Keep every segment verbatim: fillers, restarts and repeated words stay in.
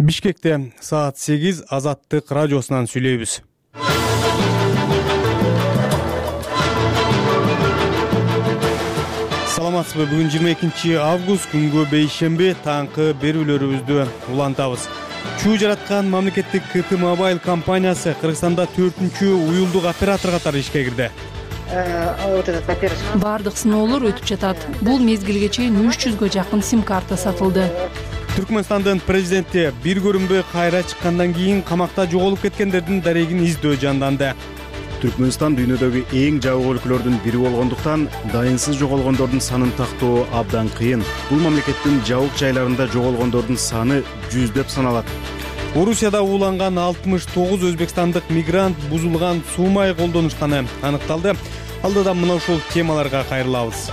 Бишкекте саат сегиз Азаттык радиосунан сүйлөйбүз. Саламатсызбы? Бүгүн жыйырма экинчи август күнгө бейшемби таңкы берүүлөрүбүздү улантабыз. Чуу жараткан мамлекеттик КТ Мобайл компаниясы Кыргызстанда төртүнчү уюлдук оператор катары ишке кирди. Бардык сыноолор өтүп жатат. Бул мезгилге чейин үч жүзгө жакын сим-карта сатылды. Түркмөнстандын президенти бир көрүнбөй кайра чыккандан кийин камакта жоголуп кеткендердин дарегин издөө жанданды. Түркмөнстан дүйнөдөгү эң жабык өлкөлөрдүн бири болгондуктан дайынсыз жоголгондордун санын тактоо абдан кыйын. Бул мамлекеттин жабык жайларында жоголгондордун саны жүздөп саналат. Орусияда ууланган алтымыш тогуз өзбекстандык мигрант бузулган суу май колдонушканы аныкталды. Алдыда мына ушул темаларга кайрылабыз.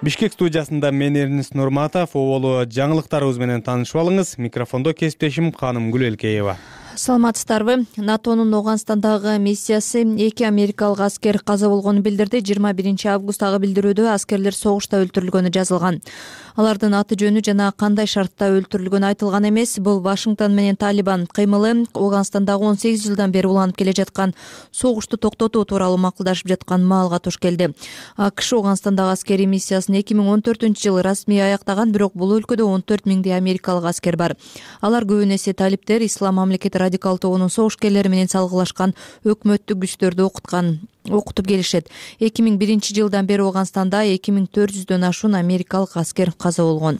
Бишкек студиясында мен Эрнис Нурматов, оболу жаңылыктарыбыз менен таанышып алыңыз. Микрофондо кесиптешим Канымгүл Элкеева. Саламатсыздарбы? НАТОнун Ооганстандагы миссиясы эки америкалык аскер каза болгонун билдирди. жыйырма биринчи августтагы билдирүүдө аскерлер согушта өлтүрүлгөнү жазылган. Алардын аты жөнү жана кандай шартта өлтүрүлгөнү айтылган эмес. Бул Вашингтон менен Талибан кыймылы Ооганстандагы он сегиз жылдан бери уланып келе жаткан согушту токтотуу тууралуу макулдашып жаткан маалга туш келди. АКШ Ооганстандагы аскерий миссиясын эки миң он төртүнчү жылы расмий аяктаган, бирок бул өлкөдө он төрт миңдей америкалык аскер бар. Алар көбүн эсе талиптер, ислам мамлекети радикал тобунун согушкерлери менен салгылашкан өкмөттүк күчтөрдү окуткан окутуп келишет. эки миң биринчи жылдан бери Ооганстанда эки миң төрт жүздөн ашуун америкалык аскер каза болгон.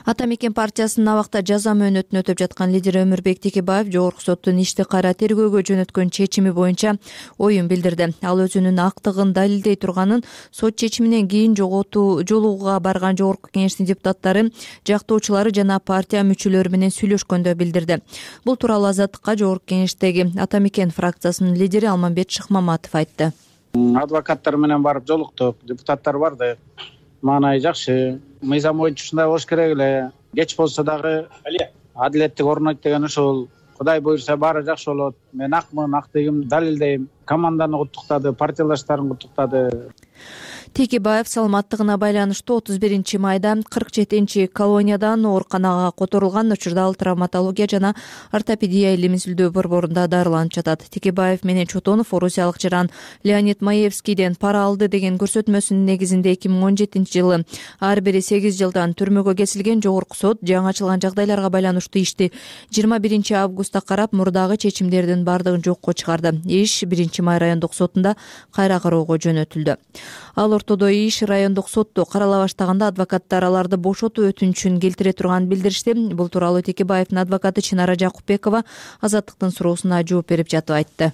Ата мекен партиясынын абакта жаза мөөнөтүн өтөп жаткан лидери Өмүрбек Текебаев жогорку соттун ишти кайра тергөөгө жөнөткөн чечими боюнча оюн билдирди. Ал өзүнүн актыгын далилдей турганын, сот чечиминен кийин жоготуу жолугууга барган жогорку кеңештин депутаттары, жактоочулары жана партия мүчөлөрү менен сүйлөшкөндө билдирди. Бул тууралуу Азаттыкка жогорку кеңештеги Ата мекен фракциясынын лидери Алмамбет Шыкмаматов айтты. Адвокаттар менен барып жолуктук, депутаттар барды. Маанай жакшы. Мыйзам боюнча ушундай болуш керек эле. Кеч болсо дагы адилеттик орнойт деген ушул. Кудай буйрса баары жакшы болот. Мен акмын, актыгым далилдейм. Команданы куттуктады, партиялаштарын куттуктады. Текебаев саламаттыгына байланыштуу отуз биринчи майда кырк жетинчи колониядан ооруканага которулган. Учурда ал травматология жана ортопедия илим изилдөө борборунда дарыланып жатат. Текебаев менен Чотонов орусиялык жаран Леонид Маевскийден пара алды деген көрсөтмөсүнүн негизинде эки миң он жетинчи жылы ар бири сегиз жылдан түрмөгө кесилген. Жогорку сот жаңы ачылган жагдайларга байланыштуу ишти жыйырма биринчи августта карап, мурдагы чечимдердин бардыгын жокко чыгарды. Иш биринчи май райондук сотунда кайра кароого жөнөтүлдү. Ал ортодо иш райондук сотто карала баштаганда адвокаттар аларды бошотуу өтүнүчүн келтире турганын билдиришти. Бул тууралуу Текебаевдин адвокаты Чынара Жакупбекова Азаттыктын суроосуна жооп берип жатып айтты.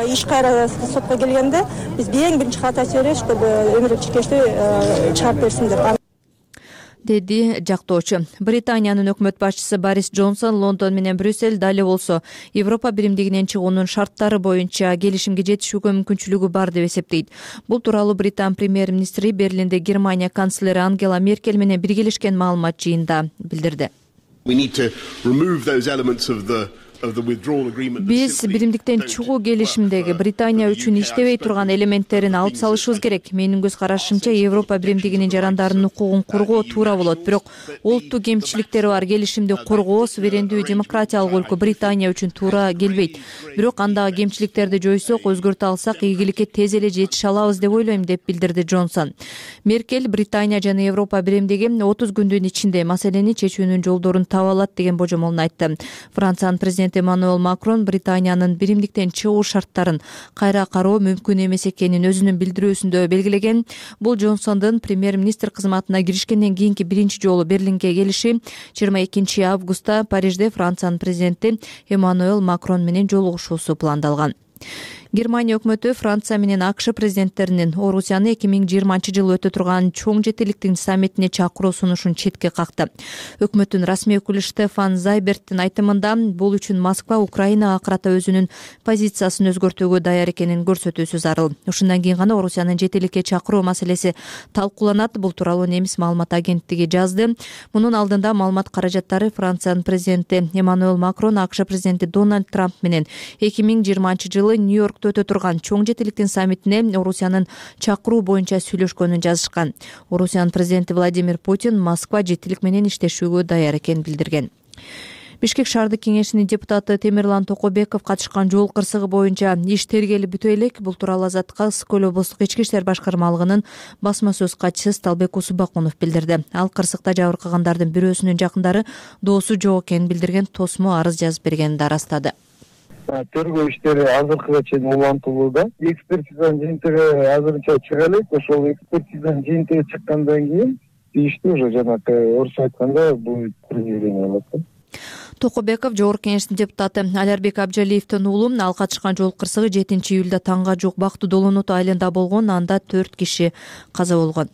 Иш кайра сотко келгенде биз эң биринчи катты айтып беребиз, чтобы өмүрлүк чекешти чыгарып берсин деп, деди жактоочу. Британиянын өкмөт башчысы Борис Джонсон Лондон менен Брюссель дали болсо Европа биримдигинен чыгуунун шарттары боюнча келишимге жетишүүгө мүмкүнчүлүгү бар деп эсептейт. Бул тууралуу Британ премьер-министри Берлинде Германия канцлери Ангела Меркель менен биргелешкен маалымат жыйынында билдирди. Биз биримдиктен чыгуу келишимдеги Британия үчүн иштебей турган элементтерин алып салышыбыз керек. Менин көз карашымча Европа биримдигинин жарандарынын укугун коргоо туура болот, бирок олуттуу кемчиликтери бар келишимди коргоо суверендүү демократиялык өлкө Британия үчүн туура келбейт. Бирок андагы кемчиликтерди жойсок, өзгөртө алсак, ийгиликке тез эле жетише алабыз деп ойлойм, деп билдирди Джонсон. Меркель Британия жана Европа биримдиги отуз күндүн ичинде маселени чечүүнүн жолдорун таба алат деген божомолун айтты. Франциянын президенти Эммануэл Макрон Британиянын биримдиктен чыгуу шарттарын кайра кароо мүмкүн эмес экенин өзүнүн билдирүүсүндө белгилеген. Бул Джонсондун премьер-министр кызматына киришкенден кийинки биринчи жолу Берлинге келиши. жыйырма экинчи августта Парижде Франциянын президенти Эммануэл Макрон менен жолугушуусу пландалган. Германия өкмөтү Франция менен АКШ президенттеринин Орусияны эки миң жыйырманчы жылы өтө турган чоң жетиликтин саммитине чакыруу сунушун четке какты. Өкмөттүн расмий өкүлү Штефан Зайберттин айтымында бул үчүн Москва Украинага карата өзүнүн позициясын өзгөртүүгө даяр экенин көрсөтүүсү зарыл. Ушундан кийин гана Орусиянын жетиликке чакыруу маселеси талкууланат. Бул тууралуу немис маалымат агенттиги жазды. Мунун алдында маалымат каражаттары Франциянын президенти Эммануэл Макрон АКШ президенти Дональд Трамп менен эки миң жыйырманчы жылы Нью-Йорк Нью-Йоркто өтө турган чоң жетиликтин саммитине Орусиянын чакыруу боюнча сүйлөшкөнүн жазышкан. Орусиянын президенти Владимир Путин Москва жетилик менен иштешүүгө даяр экенин билдирген. Бишкек шаардык кеңешинин депутаты Темирлан Токобеков катышкан жол кырсыгы боюнча иш тергелип бүтө элек. Бул тууралуу Азаттыкка Ысык көл облустук ички иштер башкармалыгынын басма сөз катчысы Сталбек Усубакунов билдирди. Ал кырсыкта жабыркагандардын бирөөсүнүн жакындары доосу жок экенин билдирген, тосмо арыз жазып бергенин да ырастады. Тергөө иштери азыркыга чейин улантылууда. Экспертизанын жыйынтыгы азырынча чыга элек. Ошол экспертизанын жыйынтыгы чыккандан кийин ишти уже жанагы орусча айтканда бул предъявление болот. Токобеков жогорку кеңештин депутаты Алярбек Абжалиевдин уулу. Ал катышкан жол кырсыгы жетинчи июлда таңга жук Бактуу Долоноту айылында болгон. Анда төрт киши каза болгон.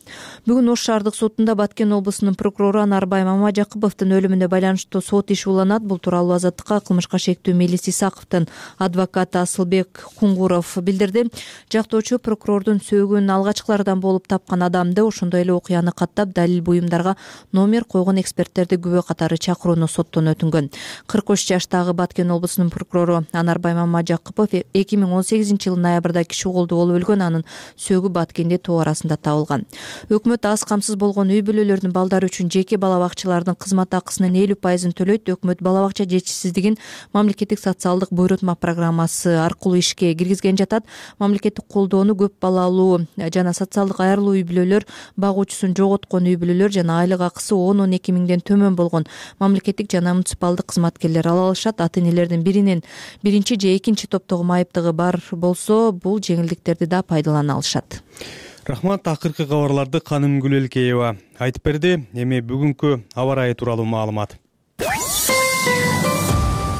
Бүгүн Ош шаардык сотунда Баткен облусунун прокурору Анарбай Мамажакыповдун өлүмүнө байланыштуу сот иши уланат. Бул тууралуу Азаттыкка кылмышка шектүү Мелис Исаковдун адвокаты Асылбек Куңгуров билдирди. Жактоочу прокурордун сөөгүн алгачкылардан болуп тапкан адамды, ошондой эле окуяны каттап далил буюмдарга номер койгон эксперттерди күбө катары чакырууну соттон өтүнгөн. кырк үч жаштагы Баткен облусунун прокурору Анарбай Мамажакыпов эки миң он сегизинчи жылы ноябрда киши колдуу болуп өлгөн. Анын сөөгү Баткенде тоо арасында табылган. Өкмөт аз камсыз болгон үй бүлөлөрдүн балдары үчүн жеке бала бакчалардын кызмат акысынын элүү пайызын төлөйт. Өкмөт бала бакча жетишсиздигин мамлекеттик социалдык буйрутма программасы аркылуу ишке киргизген жатат. Мамлекеттик колдоону көп балалуу жана социалдык айрылуу үй бүлөлөр, багуучусун жоготкон үй бүлөлөр жана айлык акысы он он эки миңден төмөн болгон мамлекеттик жана муниципалдык кызматкерлер ала алышат. Ата-энелердин биринин биринчи же экинчи топтогу майыптыгы бар болсо, бул жеңилдиктерди да пайдалана алышат. Рахмат. Акыркы кабарларды Каным Гүлелкеева айтып берди. Эми бүгүнкү аба ырайы тууралуу маалымат.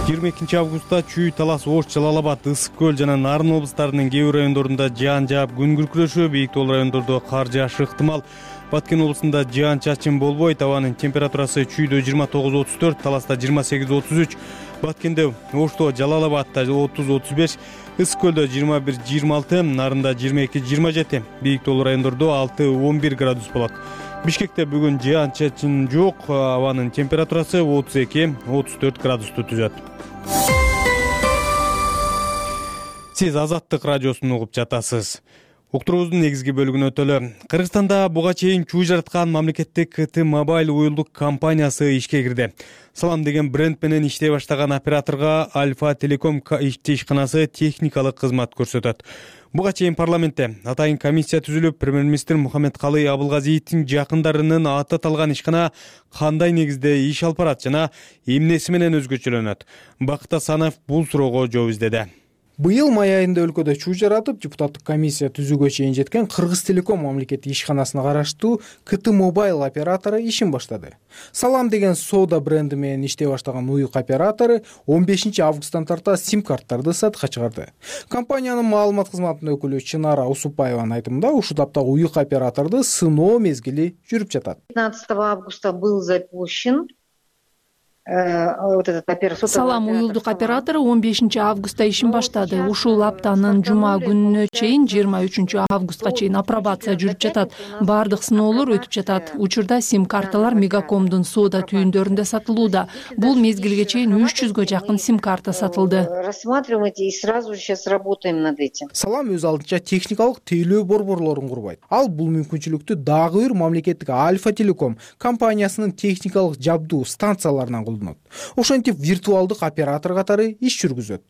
жыйырма экинчи августта Чүй, Талас, Ош, Жалал Абад, Ысык көл жана Нарын облустарынын кээ бир райондорунда жаан жаап күн күркүрөшүп, бийик тоол райондордо кар жаашы ыктымал. Баткен облусунда жаан чачын болбойт. Абанын температурасы Чүйдө жыйырма тогуз отуз төрт, Таласта жыйырма сегиз отуз үч, Баткенде, Ошто, Жалал Абадта отуз отуз беш, Ысык көлдө жыйырма бир жыйырма алты, Нарында жыйырма эки жыйырма жети, бийик тоол райондордо алты он бир градус болот. Бишкекте бүгүн жаан чачын жок. Абанын температурасы отуз эки отуз төрт градусту түзөт. Сиз Азаттык радиосун угуп жатасыз. Уктуруубуздун негизги бөлүгүнө өтөлү. Кыргызстанда буга чейин чүй жараткан мамлекеттик КТ-Мобайл уюлдук компаниясы ишке кирди. Салам деген бренд менен иштей баштаган операторго Альфа Телеком ишканасы техникалык кызмат көрсөтөт. Буга чейин парламентте атайын комиссия түзүлүп, премьер-министр Мухаммедкалый Абылгазиевдин жакындарынын аты аталган ишкана кандай негизде иш алып барат жана эмнеси менен өзгөчөлөнөт? Бакыт Асанов бул суроого жооп издеди. Быйыл май айында өлкөдө чүй жаратып, депутаттык комиссия түзүүгө чейин жеткен Кыргыз Телеком мамлекеттик ишканасына караштуу КТ-Мобайл оператору ишин баштады. Салам деген соода бренди менен иштей баштаган уюк оператору он бешинчи августтан тарта сим-карттарды сатыкка чыгарды. Компаниянын маалымат кызматынын өкүлү Чынара Усупаеванын айтымында, ушул таптагы уюк операторду сыноо мезгили жүрүп жатат. пятнадцатого августа был запущен Салам уюлдук оператору он бешинчи августта ишин баштады. Ушул аптанын жума күнүнө чейин жыйырма үчүнчү августка чейин апробация жүрүп жатат. Бардык сыноолор өтүп жатат. Учурда сим-карталар Мегакомдун соода түйүндөрүндө сатылууда. Бул мезгилге чейин үч жүзгө жакын сим-карта сатылды. Рассматривайте и сразу сейчас работаем над этим. Салам өз алдынча техникалык тейлөө борборлорун курбайт. Ал бул мүмкүнчүлүктү дагы бир мамлекеттик Альфа Телеком компаниясынын техникалык жабдуу станцияларынан Ошентип виртуалдык оператор катары иш жүргүзөт.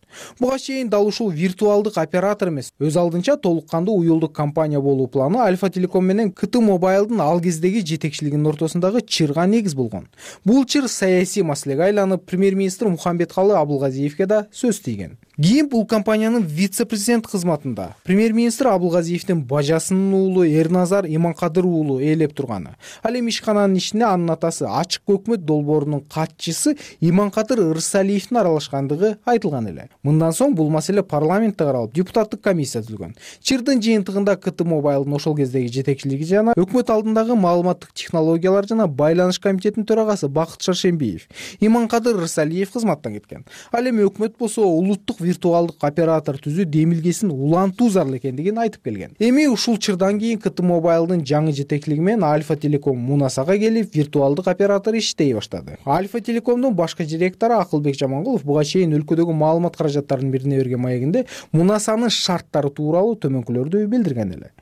Буга чейин дал ушул виртуалдык оператор эмес, өз алдынча толук кандуу уюлдук компания болуу планы Альфа Телеком менен КТ-Мобайлдын ал кездеги жетекчилигинин ортосундагы чырга негиз болгон. Бул чыр саясий маселеге айланып, премьер-министр Мухаммедкалый Абылгазиевге да сөз тийген. Кийин бул компаниянын вице-президент кызматында премьер-министр Абылгазиевдин бажасынын уулу Эрназар Иманкадыр уулу ээлеп турганы. Ал эми ишкананын ишине анын атасы Ачык өкмөт долбоорунун катчысы Иманкадыр Ырсалиевдин аралашкандыгы айтылган эле. Мындан соң бул маселе парламентте каралып, депутаттык комиссия түзүлгөн. Чырдын жыйынтыгында КТ-Мобайлдын ошол кездеги жетекчилиги жана өкмөт алдындагы маалыматтык технологиялар жана байланыш комитетинин төрагасы Бакыт Шаршембиев, Иманкадыр Ырсалиев кызматтан кеткен. Ал эми өкмөт болсо улуттук виртуалдык оператор түзүү демилгесин улантуу зарыл экендигин айтып келген. Эми ушул чырдан кийин КТ Мобайлдын жаңы жетекчилиги менен Альфа Телеком Мунасага келип виртуалдык оператор иштей баштады. Альфа Телекомдун башкы директору Акылбек Жамангулов буга чейин өлкөдөгү маалымат каражаттарынын бирине берген маегинде Мунасанын шарттары тууралуу төмөнкүлөрдү билдирген эле.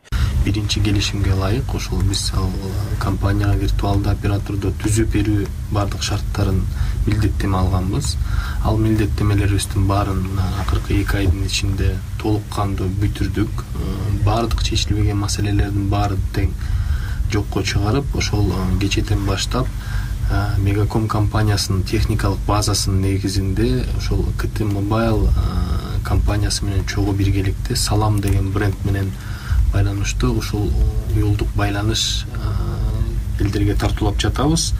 Биринчи келишимге ылайык ошол биз компанияга виртуалдуу операторду түзүп берүү бардык шарттарын милдеттеме алганбыз. Ал милдеттемелерибиздин баарын акыркы эки айдын ичинде толук кандуу бүтүрдүк. Бардык чечилбеген маселелердин баарын тең жокко чыгарып, ошол кечэтен баштап Мегаком компаниясынын техникалык базасынын негизинде ошол КТ Мобайл компаниясы менен чогуу биргеликте Салам деген бренд менен байланыштуу ушул уюлдук байланыш элдерге тартуулап жатабыз.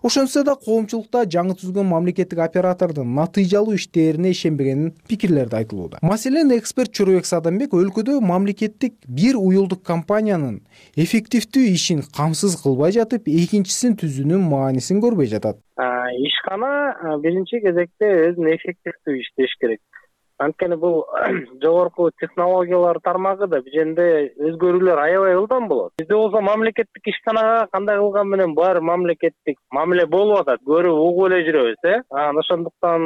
Ошентсе да коомчулукта жаңы түзүлгөн мамлекеттик оператордун натыйжалуу иштерине ишенбеген пикирлер да айтылууда. Маселен, эксперт Чорубек Садамбек өлкөдө мамлекеттик бир уюлдук компаниянын эффективдүү ишин камсыз кылбай жатып, экинчисин түзүүнүн маанисин көрбөй жатат. Ишкана биринчи кезекте өзүн эффективдүү иштеш керек. Анткени бул жогорку технологиялар тармагы да биженде өзгөрүүлөр аябай ылдам болот. Бизде болсо мамлекеттик ишканага кандай кылган менен баары мамлекеттик мамиле болуп атат, көрүп угуп эле жүрөбүз, э? Анан ошондуктан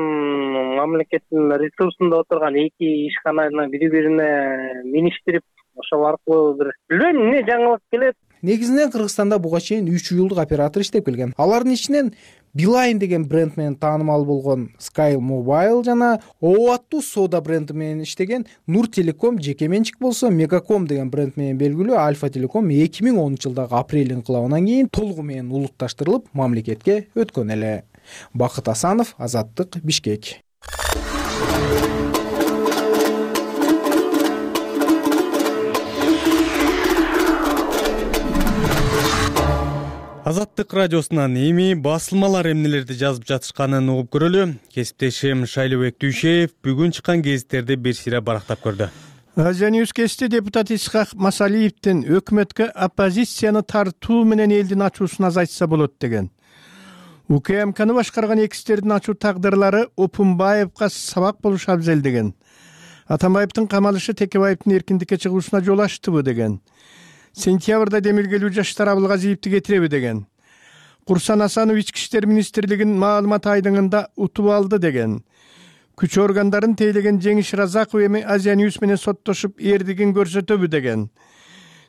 мамлекеттин ресурсунда отурган эки ишкананы бири-бирине миништирип, ошол аркылуу бир билбейм эмне жаңылык келет. Негизинен Кыргызстанда буга чейин үч уюлдук оператор иштеп келген. Алардын ичинен Билайн деген бренд менен таанымал болгон Sky Mobile жана О аттуу Сода бренди менен иштеген Нур Телеком жеке менчик болсо, Мегаком деген бренд менен белгилүү Альфа Телеком эки миң онунчу жылдагы апрель инкылабынан кийин толугу менен улутташтырылып, мамлекетке өткөн эле. Бакыт Асанов, Азаттык, Бишкек. Азаттык радиосунан эми басылмалар эмнелерди жазып жатышканын угуп көрөлү. Кесиптешим Шайлыбек Дүйшеев бүгүн чыккан гезиттерди бир сыйра барактап көрдү. Азия Ньюс кести депутат Исхак Масалиевдин өкмөткө оппозицияны тартуу менен элдин ачуусун азайтса болот деген. УКМКны башкарган экстердин ачуу тагдырлары Опунбаевга сабак болушу абзел деген. Атамбаевдин камалышы Текебаевдин эркиндикке чыгуусуна жол ачтыбы деген. Сентябрда демилгелүү жаштар Абылгазиевди кетиреби деген. Курсан Асанов ички иштер министрлигинин маалымат айдыңында утуп алды деген. Күч органдарын тейлеген Жеңиш Разаков эми Азия Ньюс менен соттошуп эрдигин көрсөтөбү деген.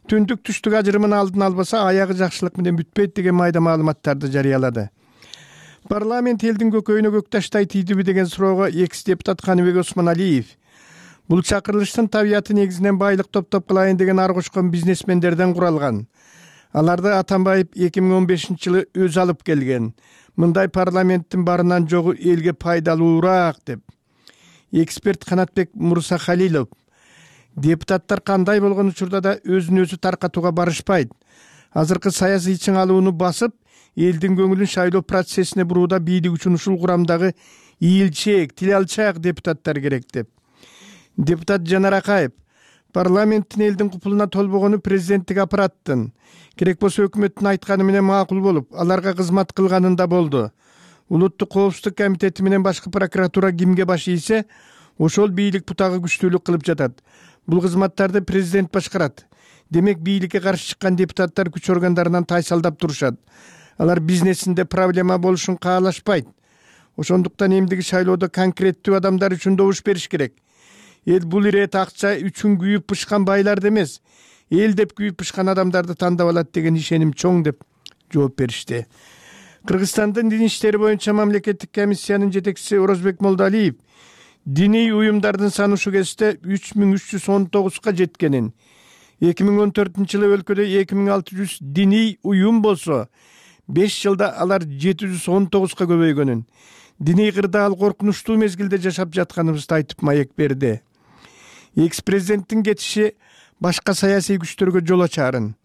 Түндүк түштүк ажырымын алдын албаса аягы жакшылык менен бүтпөйт деген майда маалыматтарды жарыялады. Парламент элдин көкөйүнө көк таштай тийдиби деген суроого экс депутат Каныбек Осмоналиев бул чакырылыштын табияты негизинен байлык топтоп кылайын деген ар кошкон бизнесмендерден куралган. Аларды Атамбаев эки миң он бешинчи жылы өзү алып келген. Мындай парламенттин барынан жогу элге пайдалуураак деп. Эксперт Канатбек Мурсахалилов депутаттар кандай болгон учурда да өзүн өзү таркатууга барышпайт. Азыркы саясий чыңалууну басып, элдин көңүлүн шайлоо процессине бурууда бийлик үчүн ушул курамдагы ийилчээк, тил алчаак депутаттар керек деп. Депутат Жанар Акаев парламенттин элдин купулуна толбогону президенттик аппараттын, керек болсо өкмөттүн айтканы менен макул болуп, аларга кызмат кылганында болду. Улуттук коопсуздук комитети менен башкы прокуратура кимге баш ийсе, ошол бийлик бутагы күчтүүлүк кылып жатат. Бул кызматтарды президент башкарат. Демек бийликке каршы чыккан депутаттар күч органдарынан тайсалдап турушат. Алар бизнесинде проблема болушун каалашпайт. Ошондуктан эмдиги шайлоодо конкреттүү адамдар үчүн добуш бериш керек. Эл бул ирет акча үчүн күйүп пышкан байларды эмес, эл деп күйүп пышкан адамдарды тандап алат деген ишеним чоң деп жооп беришти. Кыргызстандын дин иштери боюнча мамлекеттик комиссиянын жетекчиси Орозбек Молдалиев диний уюмдардын саны ушул кезде үч миң үч жүз он тогузга жеткенин, эки миң он төртүнчү жылы өлкөдө эки миң алты жүз диний уюм болсо, беш жылда алар жети жүз он тогузга көбөйгөнүн, диний кырдаал коркунучтуу мезгилде жашап жатканыбызды айтып маек берди. Экс-президенттин кетиши башка саясий күчтөргө жол ачарын.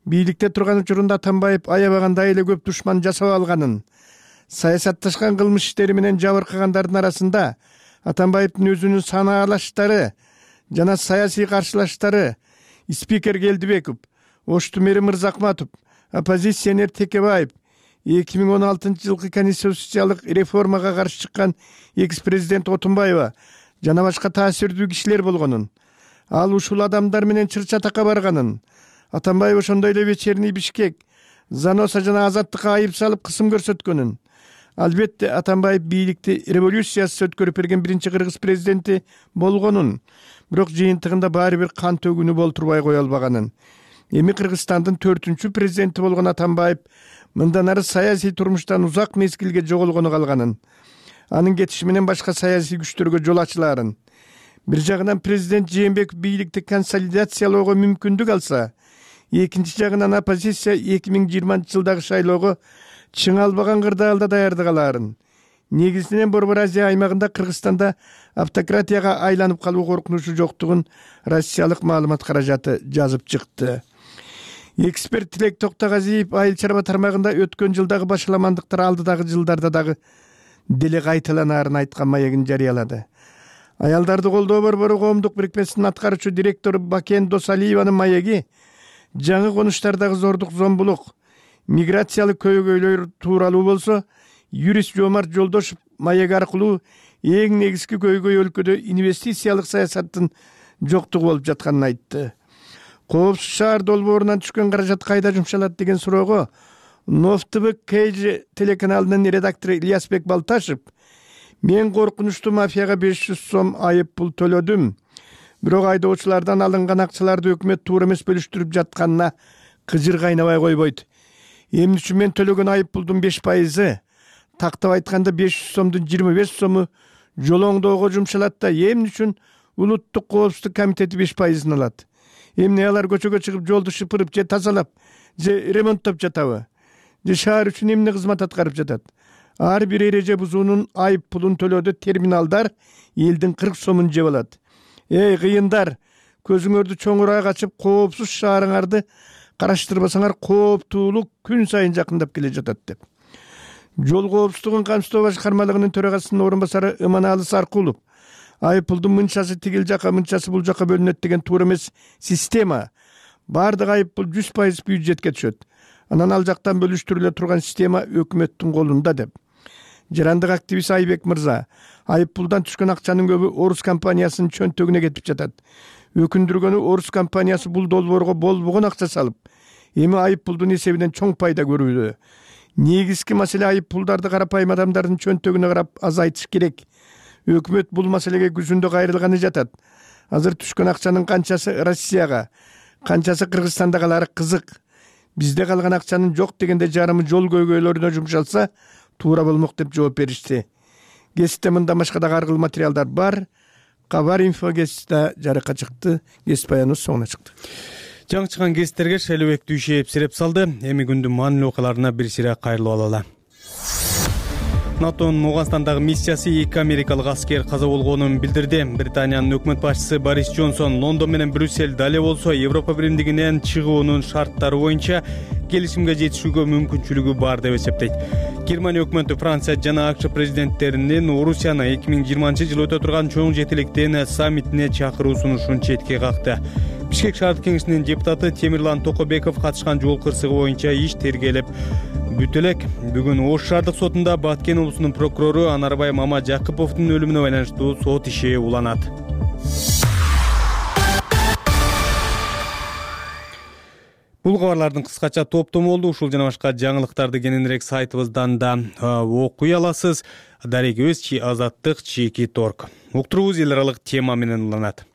Бийликте турган учурунда Атамбаев аябагандай эле көп душман жасап алганын, саясатташкан кылмыш иштери менен жабыркагандардын арасында Атамбаевдин өзүнүн санаалаштары жана саясий каршылаштары спикер Келдибеков, Оштумери Мырзакматов, оппозиционер Текебаев, эки миң он алтынчы жылкы конституциялык реформага каршы чыккан экс-президент Отунбаева жана башка таасирдүү кишилер болгонун, ал ушул адамдар менен чыр чатакка барганын, Атамбаев ошондой эле Вечерний Бишкек, Заноса жана Азаттыкка айып салып кысым көрсөткөнүн. Албетте Атамбаев бийликти революциясыз өткөрүп берген биринчи кыргыз президенти болгонун, бирок жыйынтыгында баары бир кан төгүүнү болтурбай кое албаганын. Эми Кыргызстандын төртүнчү президенти болгон Атамбаев мындан ары саясий турмуштан узак мезгилге жоголгону калганын, анын кетиши менен башка саясий күчтөргө жол ачылаарын. Бир жагынан президент Жээнбеков бийликти консолидациялоого мүмкүндүк алса, экинчи жагынан оппозиция эки миң жыйырманчы жылдагы шайлоого чың албаган кырдаалда даярдык алаарын. Негизинен Борбор Азия аймагында Кыргызстанда автократияга айланып калуу коркунучу жоктугун Россиялык маалымат каражаты жазып чыкты. Эксперт Тилек Токтогазиев айыл чарба тармагында өткөн жылдагы башаламандыктар алдыдагы жылдарда дагы деле кайталанаарын айткан маегин жарыялады. Аялдарды колдоо борбору коомдук бирикмесинин аткаруучу директору Бакен Досалиеванын маеги жаңы конуштардагы зордук, зомбулук, миграциялык көйгөйлөр тууралуу болсо, юрист Жомарт Жолдошев маеги аркылуу эң негизги көйгөй өлкөдө инвестициялык саясаттын жоктугу болуп жатканын айтты. Коопсуз шаар долбоорунан түшкөн каражат кайда жумшалат деген суроого Нов ТВ Кейжи телеканалынын редактору Ильясбек Балташев: мен коркунучтуу мафияга беш жүз сом айып пул төлөдүм. Бирок айдоочулардан алынган акчаларды өкмөт туура эмес бөлүштүрүп жатканына кыжыр кайнабай койбойт. Эмне үчүн мен төлөгөн айып пулдун беш пайызы, тактап айтканда беш жүз сомдун жыйырма беш сому жол оңдоого жумшалат да, эмне үчүн улуттук коопсуздук комитети беш пайызын алат? Эмне алар көчөгө чыгып жолду шыпырып же тазалап, же ремонттоп жатабы? Же шаар үчүн эмне кызмат аткарып жатат? Ар бир эреже бузуунун айып пулун төлөөдө терминалдар элдин кырк сомун жеп алат. Эй кыйындар, көзүңөрдү чоңураак ачып, коопсуз шаарыңарды караштырбасаңар кооптуулук күн сайын жакындап келе жатат деп. Жол коопсуздугун камсыздоо башкармалыгынын төрагасынын орун басары Ыманалы Саркулов: айып пулдун мынчасы тигил жака, мынчасы бул жака бөлүнөт деген туура эмес система. Бардык айып пул жүз пайыз бюджетке түшөт. Анан ал жактан бөлүштүрүлө турган система өкмөттүн колунда деп. Жарандык активист Айбек Мырза: айып пулдан түшкөн акчанын көбү Орус компаниясынын чөнтөгүнө кетип жатат. Өкүндүргөнү Орус компаниясы бул долбоорго болбогон акча салып, эми айып пулдун эсебинен чоң пайда көрүүдө. Негизги маселе айып пулдарды карапайым адамдардын чөнтөгүнө карап азайтыш керек. Өкмөт бул маселеге күзүндө кайрылганы жатат. Азыр түшкөн акчанын канчасы Россияга, канчасы Кыргызстанда калары кызык. Бизде калган акчанын жок дегенде жарымы жол көйгөйлөрүнө жумшалса туура болмок деп жооп беришти. Гезитте мындан башка да аркылуу материалдар бар. Кабар инфо гезитте жарыкка чыкты. Гезит баяныбыз соңуна чыкты. Жаңы чыккан гезиттерге Шайлообек Дүйшеев сереп салды. Эми күндүн маанилүү окуяларына бир сыйра кайрылып алалы. НАТОнун Ооганстандагы миссиясы эки америкалык аскер каза болгонун билдирди. Британиянын өкмөт башчысы Борис Джонсон Лондон менен Брюссель дале болсо Европа биримдигинен чыгуунун шарттары боюнча келишимге жетишүүгө мүмкүнчүлүгү бар деп эсептейт. Германия өкмөтү Франция жана АКШ президенттеринин Орусияны эки миң жыйырманчы жылы өтө турган чоң жетиликтин саммитине чакыруу сунушун четке какты. Бишкек шаардык кеңешинин депутаты Темирлан Токобеков катышкан жол кырсыгы боюнча иш тергелип бүтө элек. Бүгүн Ош шаардык сотунда Баткен облусунун прокурору Анарбай Мамажакыповдун өлүмүнө байланыштуу сот иши уланат. Бул кабарлардын кыскача топтому болду. Ушул жана башка жаңылыктарды кененирээк сайтыбыздан да окуй аласыз. Дареги өз чи Азаттык чийки торг. Уктуруубуз эл аралык тема менен уланат.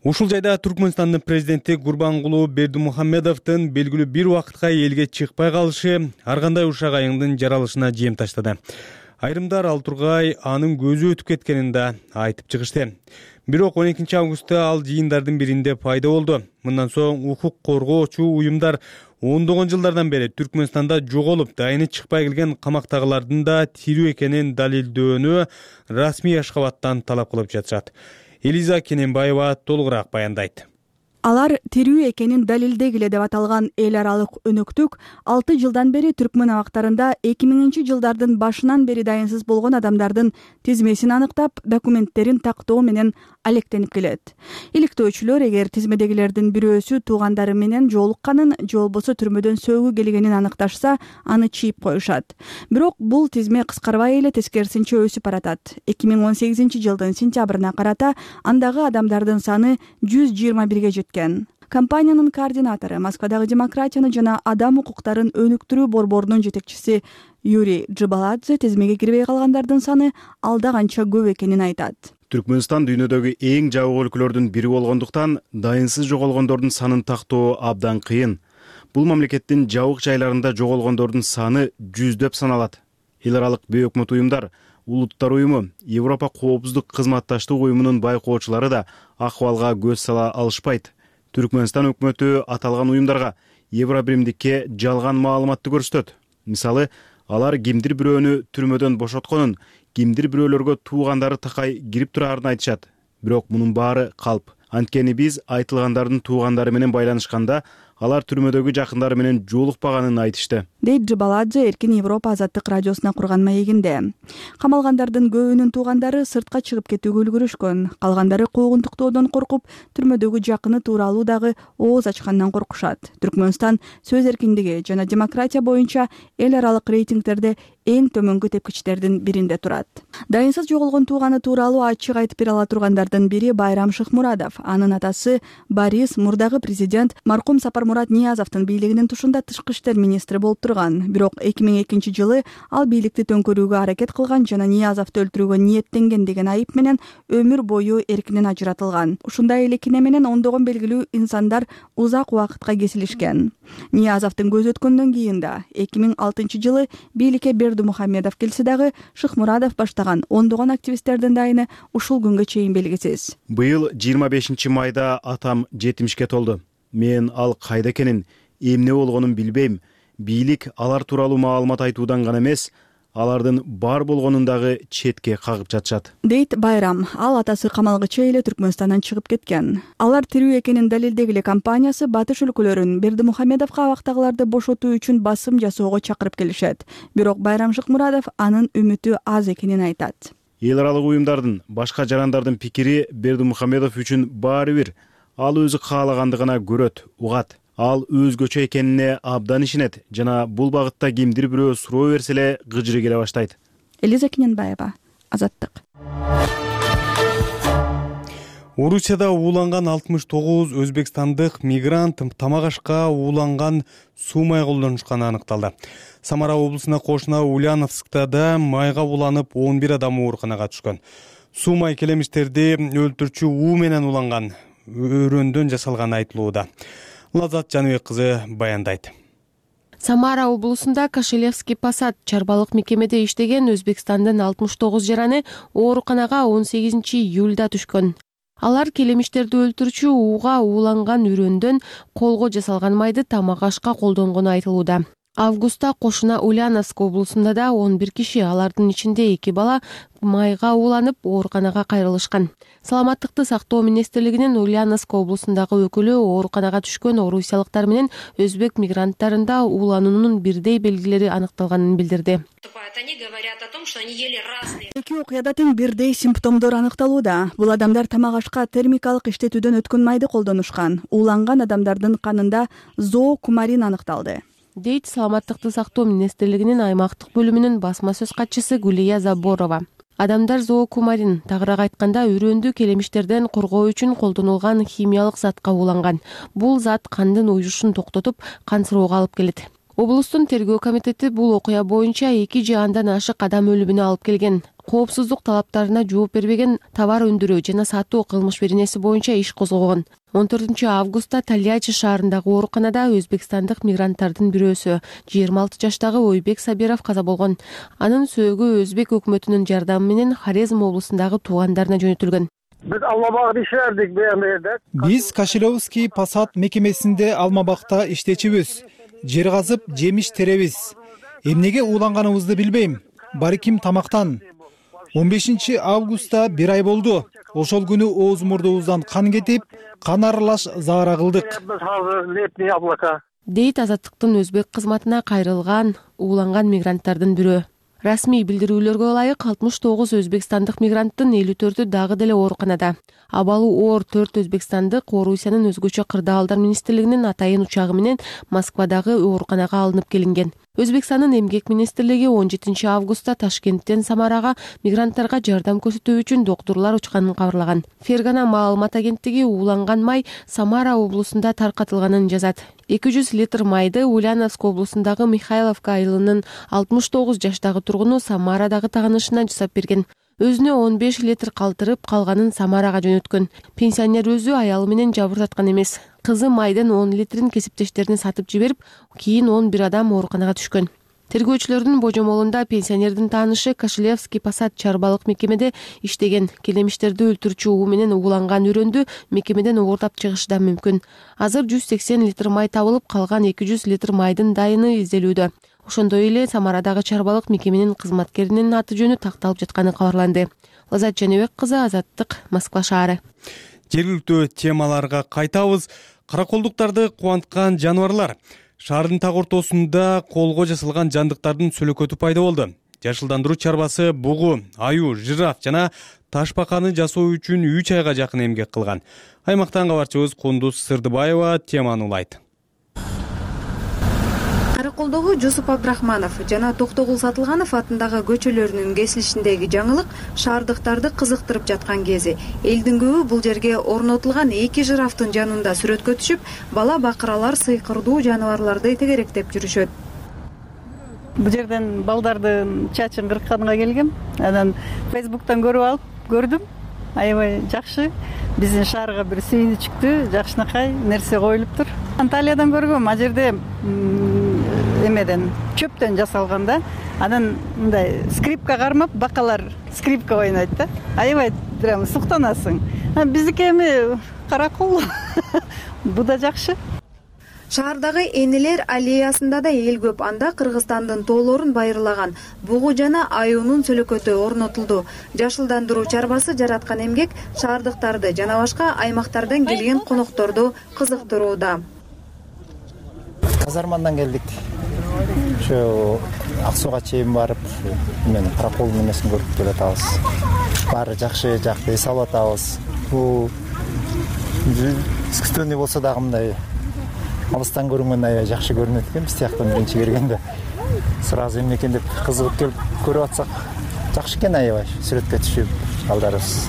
Ушул жайда Түркмөнстандын президенти Гурбангулуу Бердимухамедовдун белгилүү бир убакытка элге чыкпай калышы ар кандай ушак айыңдын жаралышына жем таштады. Айрымдар ал тургай анын көзү өтүп кеткенин да айтып чыгышты. Бирок он экинчи августта ал жыйындардын биринде пайда болду. Мындан соң укук коргоочу уюмдар ондогон жылдардан бери Түркмөнстанда жоголуп, дайыны чыкпай келген камактагылардын да тирүү экенин далилдөөнү расмий Ашкабадтан талап кылып жатышат. Элиза Кененбаева толугураак баяндайт. Алар тирүү экенин далилдегиле деп аталган эл аралык өнөктүк алты жылдан бери Түркмөн абактарында эки миңинчи жылдардын башынан бери дайынсыз болгон адамдардын тизмесин аныктап, документтерин тактоо менен алектенип келет. Иликтөөчүлөр эгер тизмедегилердин бирөөсү туугандары менен жолукканын же болбосо түрмөдөн сөөгү келгенин аныкташса, аны чийип коюшат. Бирок бул тизме кыскарбай эле тескерисинче өсүп баратат. эки миң он сегизинчи жылдын сентябрына карата андагы адамдардын саны жүз жыйырма бирге жеткен. Компаниянын координатору, Москвадагы демократияны жана адам укуктарын өнүктүрүү борборунун жетекчиси Юрий Джибаладзе тизмеге кирбей калгандардын саны алда канча көп экенин айтат. Түркмөнстан дүйнөдөгү эң жабык өлкөлөрдүн бири болгондуктан дайынсыз жоголгондордун санын тактоо абдан кыйын. Бул мамлекеттин жабык жайларында жоголгондордун саны жүздөп саналат. Эл аралык бейөкмөт уюмдар, Улуттар уюму, Европа коопсуздук кызматташтык уюмунун байкоочулары да акыбалга көз сала алышпайт. Түркмөнстан өкмөтү аталган уюмдарга Евробиримдикке жалган маалыматты көрсөтөт. Мисалы, алар кимдир бирөөнү түрмөдөн бошотконун, кимдир бирөөлөргө туугандары такай кирип турарын айтышат. Бирок мунун баары калп. Анткени биз айтылгандардын туугандары менен байланышканда, алар түрмөдөгү жакындары менен жолукпаганын айтышты. Дейт Джибаладзе Эркин Европа азаттык радиосуна курган маегинде. Камалгандардын көбүнүн туугандары сыртка чыгып кетүүгө үлгүрүшкөн. Калгандары куугунтуктоодон коркуп, түрмөдөгү жакыны тууралуу дагы ооз ачкандан коркушат. Түркмөнстан сөз эркиндиги жана демократия боюнча эл аралык рейтингтерде эң төмөнкү тепкичтердин биринде турат. Дайынсыз жоголгон тууганы тууралуу ачык айтып бере ала тургандардын бири Байрам Шыкмурадов. Анын атасы Борис мурдагы президент маркум Сапармурат Ниязовдун бийлигинин тушунда тышкы иштер министри болуп турган. Бирок эки миң экинчи жылы ал бийликти төңкөрүүгө аракет кылган жана Ниязовду өлтүрүүгө ниеттенген деген айып менен өмүр бою эркинен ажыратылган. Ушундай эле кине менен ондогон белгилүү инсандар узак убакытка кесилишкен. Ниязовдун көзү өткөндөн кийин да эки миң алтынчы жылы бийликке Бердымухамедов келсе дагы Шыкмурадов баштаган ондогон активисттердин дайыны ушул күнгө чейин белгисиз. Быйыл жыйырма бешинчи майда атам жетимишке толду. Мен ал кайда экенин, эмне болгонун билбейм. Бийлик алар тууралуу маалымат айтуудан гана эмес, алардын бар болгонун дагы четке кагып жатышат. Дейт Байрам, ал атасы камалгыча эле Түркмөнстандан чыгып кеткен. Алар тирүү экенин далилдегиле компаниясы батыш өлкөлөрүн Бердымухамедовго абактагыларды бошотуу үчүн басым жасоого чакырып келишет. Бирок Байрам Шыкмурадов анын үмүтү аз экенин айтат. Эл аралык уюмдардын, башка жарандардын пикири Бердымухамедов үчүн баары бир. Ал өзү каалагандыгына көрөт, угат. Ал өзгөчө экенине абдан ишенет жана бул багытта кимдир бирөө суроо берсе эле кыжыры келе баштайт. Элиза Кененбаева, Азаттык. Орусияда ууланган алтымыш тогуз өзбекстандык мигрант тамак ашка ууланган суу май колдонушканы аныкталды. Самара облусуна кошуна Ульяновскта да майга ууланып он бир адам ооруканага түшкөн. Суу май келемиштерди өлтүрчү уу менен ууланган, өрөөндөн жасалганы айтылууда. Лазат Жаныбек кызы баяндайт. Самара облусунда Кашелевский Посад чарбалык мекемеде иштеген Өзбекстандын алтымыш тогуз жараны ооруканага он сегизинчи июлда түшкөн. Алар келемиштерди өлтүрчү ууга ууланган өрөөндөн колго жасалган майды тамак ашка колдонгону айтылууда. Августта кошуна Ульяновск облусунда да он бир киши, алардын ичинде эки бала майга ууланып ооруканага кайрылышкан. Саламаттыкты сактоо министрлигинин Ульяновск облусундагы өкүлү ооруканага түшкөн орусиялыктар менен өзбек мигранттарында уулануунун бирдей белгилери аныкталганын билдирди. Эки окуяда тең бирдей симптомдор аныкталууда. Бул адамдар тамак ашка термикалык иштетүүдөн өткөн майды колдонушкан. Ууланган адамдардын канында зоокумарин аныкталды. Дейт Саламаттыкты сактоо министрлигинин аймактык бөлүмүнүн басма сөз катчысы Гулия Заборова. Адамдар зоокумарин, тагыраак айтканда өрөөндү келемиштерден коргоо үчүн колдонулган химиялык затка ууланган. Бул зат кандын уюшун токтотуп, кансыроого алып келет. Облустун тергөө комитети бул окуя боюнча эки же андан ашык адам өлүмүнө алып келген. Коопсуздук талаптарына жооп бербеген товар өндүрүү жана сатуу кылмыш беренеси боюнча иш козгогон. он төртүнчү августта Тольятти шаарындагы ооруканада өзбекстандык мигранттардын бирөөсү, жыйырма алты жаштагы Ойбек Сабиров каза болгон. Анын сөөгү өзбек өкмөтүнүн жардамы менен Хорезм облусундагы туугандарына жөнөтүлгөн. Биз Алмабагда иштедик бияндайда. Биз Кашелевский Посад мекемесинде Алмабакта иштечүбүз. Жер казып, жемиш теребиз. Эмнеге ууланганыбызды билбейм. Бариким тамактан. он бешинчи августта бир ай болду. Ошол күнү ооз мурдубуздан кан кетип, кан аралаш заара кылдык. Дейт Азаттыктын өзбек кызматына кайрылган ууланган мигранттардын бирөө. Расмий билдирүүлөргө ылайык алтымыш тогуз өзбекстандык мигранттын элүү төртү дагы деле ооруканада. Абалы оор төрт өзбекстандык Орусиянын өзгөчө кырдаалдар министрлигинин атайын учагы менен Москвадагы ооруканага алынып келинген. Өзбекстандын эмгек министрлиги он жетинчи августта Ташкенттен Самарага мигранттарга жардам көрсөтүү үчүн доктурлар учканын кабарлаган. Фергана маалымат агенттиги ууланган май Самара облусунда таркатылганын жазат. эки жүз литр майды Ульяновск облусундагы Михайловка айылынын алтымыш тогуз жаштагы тургуну Самарадагы таанышына жасап берген. Өзүнө он беш литр калтырып, калганын Самарага жөнөткөн. Пенсионер өзү аялы менен жабыртаткан эмес. Кызы майдын он литрин кесиптештерине сатып жиберип, кийин он бир адам ооруканага түшкөн. Тергөөчүлөрдүн божомолунда пенсионердин таанышы Кашелевский Посад чарбалык мекемеде иштеген. Келемиштерди өлтүрүүчү уу менен ууланган үрөндү мекемеден оордап чыгышы да мүмкүн. Азыр жүз сексен литр май табылып, калган эки жүз литр майдын дайыны изделүүдө. Ошондой эле Самарадагы чарбалык мекеменин кызматкеринин аты жөнү такталып жатканы кабарланды. Лазат Жаныбек кызы, Азаттык, Москва шаары. Жергиликтүү темаларга кайтабыз. Караколдуктарды кубанткан жаныбарлар. Шаардын так ортосунда колго жасалган жандыктардын сөлөкөтү пайда болду. Жашылдандыруу чарбасы бугу, аю, жираф жана ташбаканы жасоо үчүн үч айга жакын эмгек кылган. Аймактан кабарчыбыз Кундуз Сырдыбаева теманы улайт. Караколдогу Жусуп Абдрахманов жана Токтогул Сатылганов атындагы көчөлөрүнүн кесилишиндеги жаңылык шаардыктарды кызыктырып жаткан кези. Элдин көбү бул жерге орнотулган эки жирафтын жанында сүрөткө түшүп, бала бакыралар сыйкырдуу жаныбарларды тегеректеп жүрүшөт. Бул жерден балдардын чачын кыркканга келгем. Анан Фейсбуктан көрүп алып, көрдүм. Аябай жакшы. Биздин шаарга бир сүйүнүчтүү, жакшынакай нерсе коюлуптур. Анталиядан көргөм, а жерде эмеден, чөптөн жасалган да. Анан мындай скрипка кармап, бакалар скрипка ойнойт да. Аябай прям суктанасың. Биздики эми каракол. Бу да жакшы. Шаардагы энелер аллеясында да эл көп. Анда Кыргызстандын тоолорун байырлаган бугу жана аюунун сөлөкөтү орнотулду. Жашылдандыруу чарбасы жараткан эмгек шаардыктарды жана башка аймактардан келген конокторду кызыктырууда. Казармандан келдик. Ошо Ак Сууга чейин барып, мен караколдун эмесин көрүп келатабыз. Баары жакшы, жакты эс алып атабыз. Бул искусственный болсо дагы мындай алыстан көрүнгөн аябай жакшы көрүнөт экен. Биз тияктан биринчи келгенде сразу эмне экен деп кызыгып келип көрүп атсак, жакшы экен аябай. Сүрөткө түшүп, балдарыбыз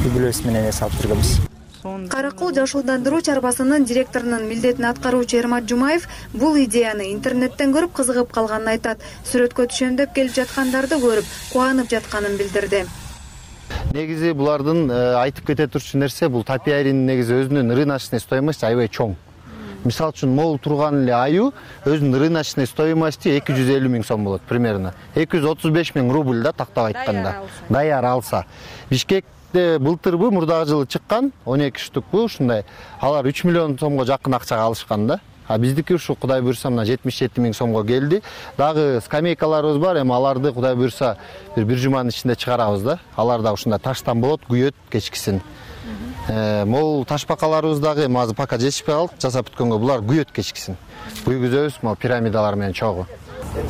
үй-бүлөбүз менен эс алып жүргөнбүз. Каракол жашылдандыруу чарбасынын директорунун милдетин аткаруучу Эрмат Жумаев бул идеяны интернеттен көрүп кызыгып калганын айтат. Сүрөткө түшөм деп келип жаткандарды көрүп кубанып жатканын билдирди. Негизи булардын айтып кете турчу нерсе, бул топиаринин негизи өзүнүн рыночный стоимости аябай чоң. Мисал үчүн могул турган эле аю өзүнүн рыночный стоимости эки жүз элүү миң сом болот примерно. эки жүз отуз беш миң рубль да тактап айтканда. Даяр алса. Бишкекте былтырбы мурдагы жылы чыккан он эки штукпу ушундай. Алар үч миллион сомго жакын акчага алышкан да. А биздики ушу Кудай буйрса мына жетимиш жети миң сомго келди. Дагы скамейкаларыбыз бар, эми аларды Кудай буйрса бир бир жуманын ичинде чыгарабыз да. Алар да ушундай таштан болот, күйөт кечкисин. Могул ташбакаларыбыз дагы эми азыр пока жетишпей калды, жасап бүткөнгө булар күйөт кечкисин. Күйгүзөбүз, могу пирамидалар менен чогуу.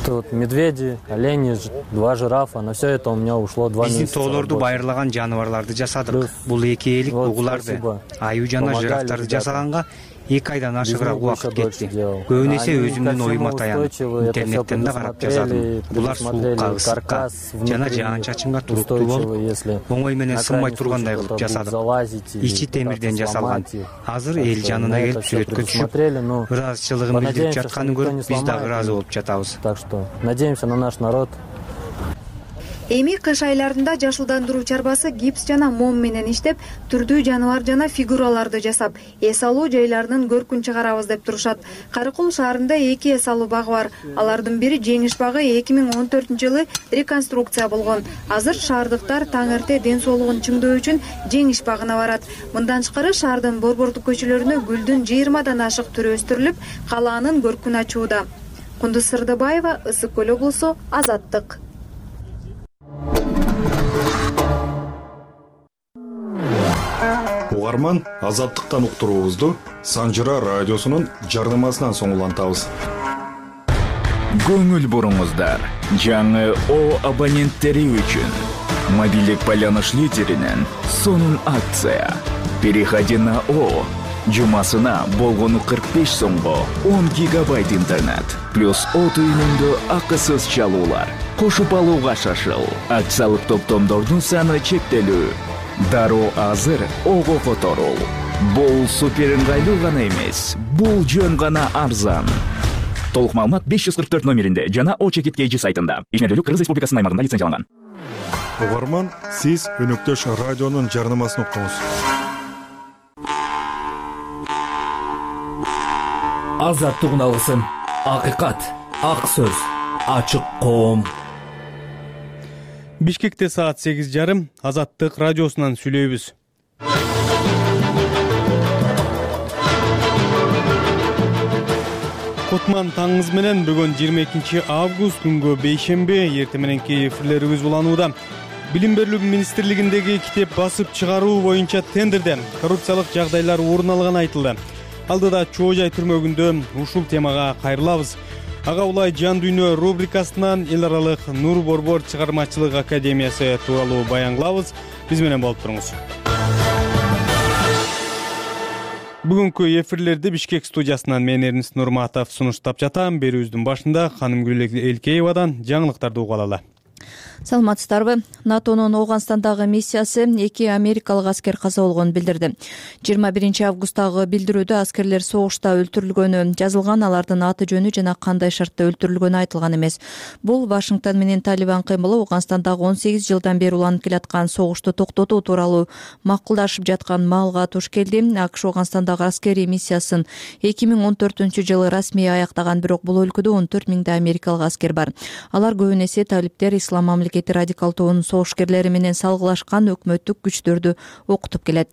Тут медведи, олени, два жирафа, на все это у меня ушло два месяца. Биздин тоолорду байырлаган жаныбарларды жасадык. Бул эки элик бугуларды, аю жана жирафтарды жасаганга эки айдан ашыгыраак убакыт кетти. Көбүн эсе өзүмдүн оюма таянып, интернеттен да карап жасадым. Булар суукка, ысыкка жана жаан-чачынга туруктуу болуп, оңой менен сынбай тургандай кылып жасадык. Ичи темирден жасалган. Азыр эл жанына келип сүрөткө түшүп, ыраазычылыгын билдирип жатканын көрүп, биз дагы ыраазы болуп жатабыз. Так что надеемся на наш народ. Эми кыш айларында жашылдандыруу чарбасы гипс жана мом менен иштеп, түрдүү жаныбар жана фигураларды жасап, эс алуу жайларынын көркүн чыгарабыз деп турушат. Каракол шаарында эки эс алуу багы бар. Алардын бири Жеңиш багы эки миң он төртүнчү жылы реконструкция болгон. Азыр шаардыктар таң эрте ден соолугун чыңдоо үчүн Жеңиш багына барат. Мындан тышкары шаардын борбордук көчөлөрүнө гүлдүн жыйырмадан ашык түрү өстүрүлүп, калаанын көркүн ачууда. Кундуз Сырдыбаева, Ысык көл облусу, Азаттык. Угарман, Азаттыктан уктуруубузду Санжыра радиосунун жарнамасынан соң улантабыз. көңүл буруңуздар. Жаңы О абоненттери үчүн мобилдик байланыш лидеринен сонун акция. Переходи на О. Жумасына болгону кырк беш сомго он гигабайт интернет плюс О түйүнүндө акысыз чалуулар. Кошуп алууга шашыл. Акциялык топтомдордун саны чектелүү. Дароо азыр Ого которул. Бул супер ыңгайлуу гана эмес, бул жөн гана арзан. Толук маалымат беш жүз кырк төрт номеринде жана О чекит кей жи сайтында. Ишмердүүлүк Кыргыз Республикасынын аймагында лицензияланган. Угарман, сиз өнөктөш радионун жарнамасын уктуңуз. Азаттык алысын, акыйкат, ак сөз, ачык коом. Бишкекте саат сегиз жарым Азаттык радиосунан сүйлөйбүз. Кутман таңыңыз менен бүгүн жыйырма экинчи август күнгө бейшемби эртең мененки эфирлерибиз уланууда. Билим берүү министрлигиндеги китеп басып чыгаруу боюнча тендерде коррупциялык жагдайлар орун алганы айтылды. Алдыда чоо жай түрмөгүндө ушул темага кайрылабыз. Ага улай жан дүйнө рубрикасынан эл аралык Нур Борбор чыгармачылык академиясы тууралуу баянгылабыз. Биз менен болуп туруңуз. Бүгүнкү эфирлерди Бишкек студиясынан мен Эрнис Нурматов сунуштап жатам. Берүүбүздүн башында ханым Гүл Элкеевадан жаңылыктарды угуп алалы. Саламатсыздарбы? НАТОнун Ооганстандагы миссиясы эки америкалык аскер каза болгонун билдирди. жыйырма биринчи августтагы билдирүүдө аскерлер согушта өлтүрүлгөнү жазылган, алардын аты жөнү жана кандай шартта өлтүрүлгөнү айтылган эмес. Бул Вашингтон менен Талибан кыймылы Ооганстандагы он сегиз жылдан бери уланып келаткан согушту токтотуу тууралуу макулдашып жаткан маалга туш келди. АКШ Ооганстандагы аскерий миссиясын эки миң он төртүнчү жылы расмий аяктаган, бирок бул өлкөдө он төрт миңдей америкалык аскер бар. Алар көбүн эсе талиптер, ислам мамлекети радикал тобунун согушкерлери менен салгылашкан өкмөттүк күчтөрдү окутуп келет.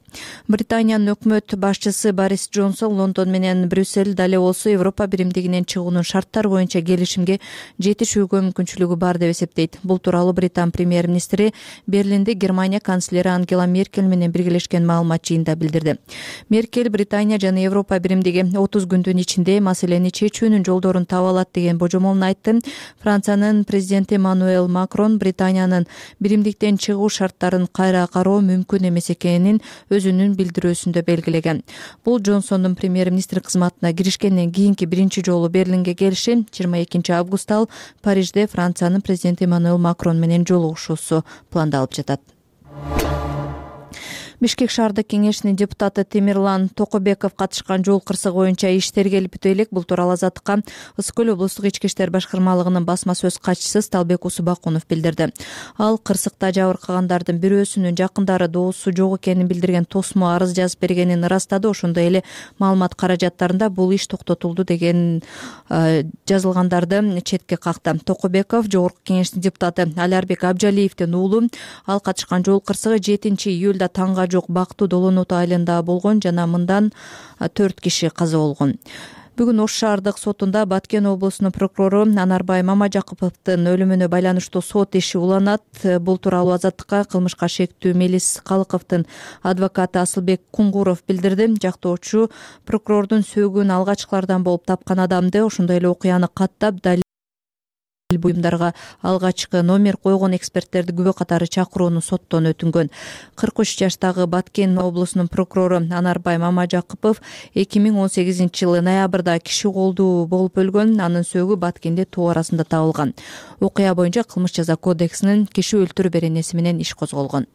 Британиянын өкмөт башчысы Борис Джонсон Лондон менен Брюссель дале болсо Европа биримдигинен чыгуунун шарттары боюнча келишимге жетишүүгө мүмкүнчүлүгү бар деп эсептейт. Бул тууралуу Британ премьер-министри Берлинде Германия канцлери Ангела Меркель менен биргелешкен маалымат жыйында билдирди. Меркель Британия жана Европа биримдиги отуз күндүн ичинде маселени чечүүнүн жолдорун таба алат деген божомолун айтты. Франциянын президенти Эммануэль Макрон Британиянын биримдиктен чыгуу шарттарын кайра кароо мүмкүн эмес экенин өзүнүн билдирүүсүндө белгилеген. Бул Джонсондун премьер-министр кызматына киришкенден кийинки биринчи жолу Берлинге келиши. жыйырма экинчи августта ал Парижде Франциянын президенти Эммануэль Макрон менен жолугушуусу пландалып жатат. Бишкек шаардык кеңешинин депутаты Темирлан Токобеков катышкан жол кырсыгы боюнча иш тергелип бүтө элек. Бул тууралуу Азаттыкка Ысык көл облустук ички иштер башкармалыгынын басма сөз катчысы Сталбек Усубакунов билдирди. Ал кырсыкта жабыркагандардын бирөөсүнүн жакындары доосу жок экенин билдирген тосмо арыз жазып бергенин ырастады. Ошондой эле маалымат каражаттарында бул иш токтотулду деген жазылгандарды четке какты. Токобеков жогорку кеңештин депутаты Алярбек Абжалиевдин уулу. Ал катышкан жол кырсыгы жетинчи июлда таңга жок Бактуу Долонот айылында болгон жана мындан төрт киши каза болгон. Бүгүн Ош шаардык сотунда Баткен облусунун прокурору Анарбай Мамажакыповдун өлүмүнө байланыштуу сот иши уланат. Бул тууралуу Азаттыкка кылмышка шектүү Мелис Калыковдун адвокаты Асылбек Куңгуров билдирди. Жактоочу прокурордун сөөгүн алгачкылардан болуп тапкан адамды, ошондой эле окуяны каттап далил буюмдарга алгачкы номер койгон эксперттерди күбө катары чакырууну соттон өтүнгөн. кырк үч жаштагы Баткен облусунун прокурору Анарбай Мамажакыпов эки миң он сегизинчи жылы ноябрда киши колдуу болуп өлгөн. Анын сөөгү Баткенде тоо арасында табылган. Окуя боюнча кылмыш жаза кодексинин киши өлтүрүү беренеси менен иш козголгон.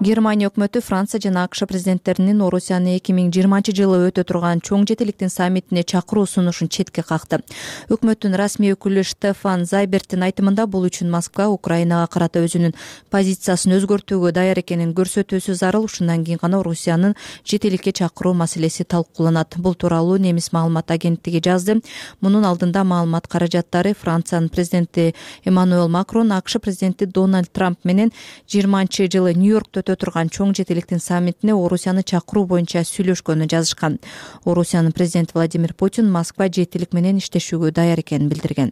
Германия өкмөтү Франция жана АКШ президенттеринин Орусияны эки миң жыйырманчы жылы өтө турган чоң жетиликтин саммитине чакыруу сунушун четке какты. Өкмөттүн расмий өкүлү Штефан Зайберттин айтымында бул үчүн Москва Украинага карата өзүнүн позициясын өзгөртүүгө даяр экенин көрсөтүүсү зарыл. Ушундан кийин гана Орусиянын жетиликке чакыруу маселеси талкууланат. Бул тууралуу немис маалымат агенттиги жазды. Мунун алдында маалымат каражаттары Франциянын президенти Эммануэль Макрон АКШ президенти Дональд Трамп менен жыйырманчы жылы Нью-Йоркто турган чоң жетиликтин саммитине Орусияны чакыруу боюнча сүйлөшкөнү жазышкан. Орусиянын президенти Владимир Путин Москва жетилик менен иштешүүгө даяр экенин билдирген.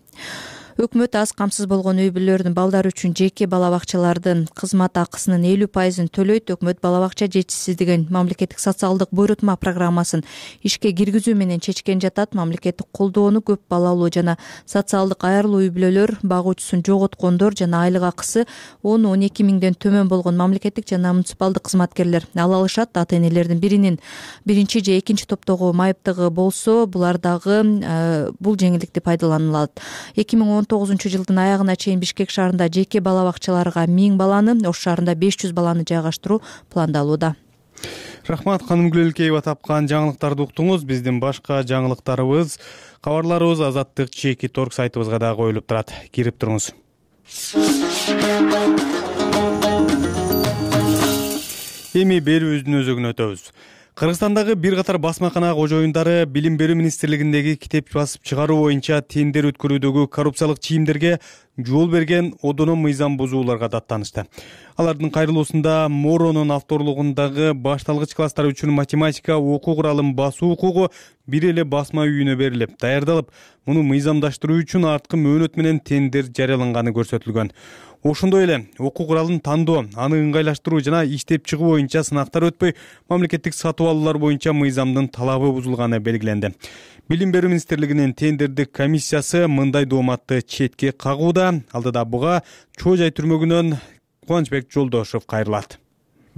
өкмөт аз камсыз болгон үй бүлөлөрдүн балдары үчүн жеке бала бакчалардын кызмат акысынын элүү пайызын төлөйт. Өкмөт бала бакча жетишсиздигин мамлекеттик социалдык буйрутма программасын ишке киргизүү менен чечкен жатат. Мамлекеттик колдоону көп балалуу жана социалдык аярлуу үй бүлөлөр, багуучусун жоготкондор жана айлык акысы он он эки миңден төмөн болгон мамлекеттик жана муниципалдык кызматкерлер ала алышат. Ата энелердин биринин биринчи же экинчи топтогу майыптыгы болсо, булар дагы бул жеңилдикти пайдаланылат. эки миң он тогузунчу жылдын аягына чейин Бишкек шаарында жеке бала бакчаларга миң баланы, Ош шаарында беш жүз баланы жайгаштыруу пландалууда. Рахмат, ханым Гүлөлкеева тапкан жаңылыктарды уктуңуз. Биздин башка жаңылыктарыбыз, кабарларыбыз Азаттык чеки торг сайтыбызга да коюлуп турат. Кирип туруңуз. Эми берүүбүздүн өзөгүнө өтөбүз. Кыргызстандагы бир катар басмакана кожоюндары Билим берүү министрлигиндеги китеп басып чыгаруу боюнча тендер өткөрүүдөгү коррупциялык чийимдерге жол берген одоно мыйзам бузууларга даттанышты. Алардын кайрылуусунда Моронун авторлугундагы башталгыч класстар үчүн математика окуу куралын басуу укугу бир эле басма үйүнө берилип, даярдалып, муну мыйзамдаштыруу үчүн арткы мөөнөт менен тендер жарыяланганы көрсөтүлгөн. Ошондой эле окуу куралын тандоо, аны ыңгайлаштыруу жана иштеп чыгуу боюнча сынактар өтпөй, мамлекеттик сатып алуулар боюнча мыйзамдын талабы бузулганы белгиленди. Билим берүү министрлигинин тендердик комиссиясы мындай дооматты четке кагууда. Алдыда буга Чоо жай түрмөгүнөн Кубанычбек Жолдошев кайрылат.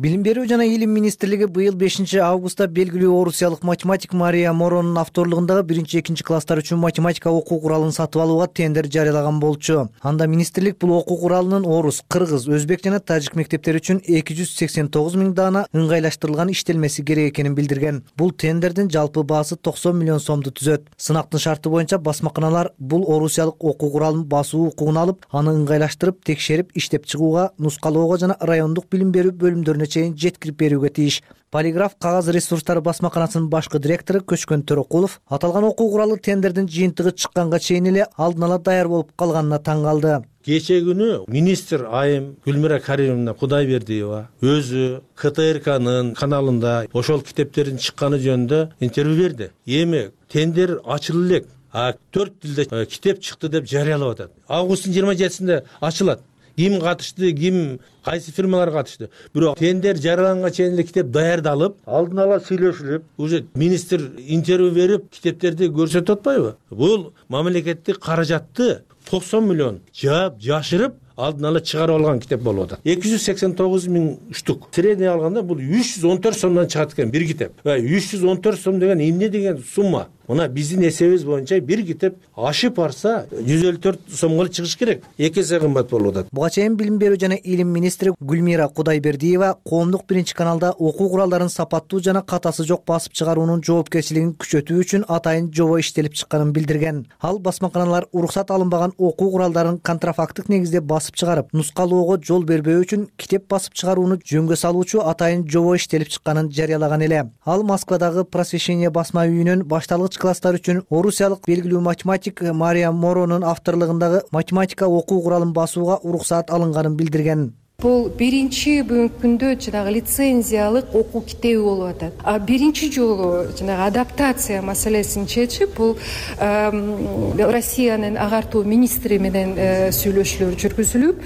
Билим берүү жана илим министрлиги быйыл бешинчи августта белгилүү орусиялык математик Мария Моронун авторлугундагы биринчи экинчи класстар үчүн математика окуу куралын сатып алууга тендер жарыялаган болчу. Анда министрлик бул окуу куралынын орус, кыргыз, өзбек жана тажик мектептери үчүн эки жүз сексен тогуз миң даана ыңгайлаштырылган иштелмеси керек экенин билдирген. Бул тендердин жалпы баасы токсон миллион сомду түзөт. Сынактын шарты боюнча басмаканалар бул орусиялык окуу куралын басуу укугун алып, аны ыңгайлаштырып, текшерип, иштеп чыгууга, нускалоого жана райондук билим берүү бөлүмдөрүнө чейин жеткирип берүүгө тийиш. Полиграф кагаз ресурстары басмаканасынын башкы директору Көчкөн Төрөкулов аталган окуу куралы тендердин жыйынтыгы чыкканга чейин эле алдын ала даяр болуп калганына таң калды. Кече күнү министр айым Гүлмира Каримовна Кудайбердиева өзү К Т Р К'нын каналында ошол китептердин чыкканы жөнүндө интервью берди. Эми тендер ачылып элек, а төрт тилде китеп чыкты деп жарыялап атат. Августтун жыйырма жетисинде ачылат. Ким катышты, ким кайсы фирмалар катышты. Бирок тендер жарыяланганга чейин эле китеп даярдалып, алдын ала сүйлөшүлүп, уже министр интервью берип, китептерди көрсөтүп атпайбы? Бул мамлекеттик каражатты токсон миллион жаап, жашырып, алдын ала чыгарып алган китеп болуп атат. эки жүз сексен тогуз миң штук. Средний алганда бул үч жүз он төрт сомдон чыгат экен бир китеп. үч жүз он төрт сом деген эмне деген сумма? Мына биздин эсебибиз боюнча бир китеп ашып барса жүз элүү төрт сомго чыгыш керек. эки эсе кымбат болуп атат. Буга чейин билим берүү жана илим министри Гүлмира Кудайбердиева коомдук биринчи каналда окуу куралдарын сапаттуу жана катасы жок басып чыгаруунун жоопкерчилигин күчөтүү үчүн атайын жобо иштелип чыкканын билдирген. Ал басмаканалар уруксат алынбаган окуу куралдарын контрафактык негизде басып чыгарып, нускалоого жол бербөө үчүн китеп басып чыгарууну жөнгө салуучу атайын жобо иштелип чыкканын жарыялаган эле. Ал Москвадагы Просвещение басма үйүнүн башталгыч класстар үчүн орусиялык белгилүү математик Мария Моронун авторлугундагы математика окуу куралын басууга уруксаат алынганын билдирген. Бул биринчи бүгүнкү күндө жанагы лицензиялык окуу китеби болуп атат. А биринчи жолу жанагы адаптация маселесин чечип, бул Россиянын агартуу министри менен сүйлөшүүлөр жүргүзүлүп,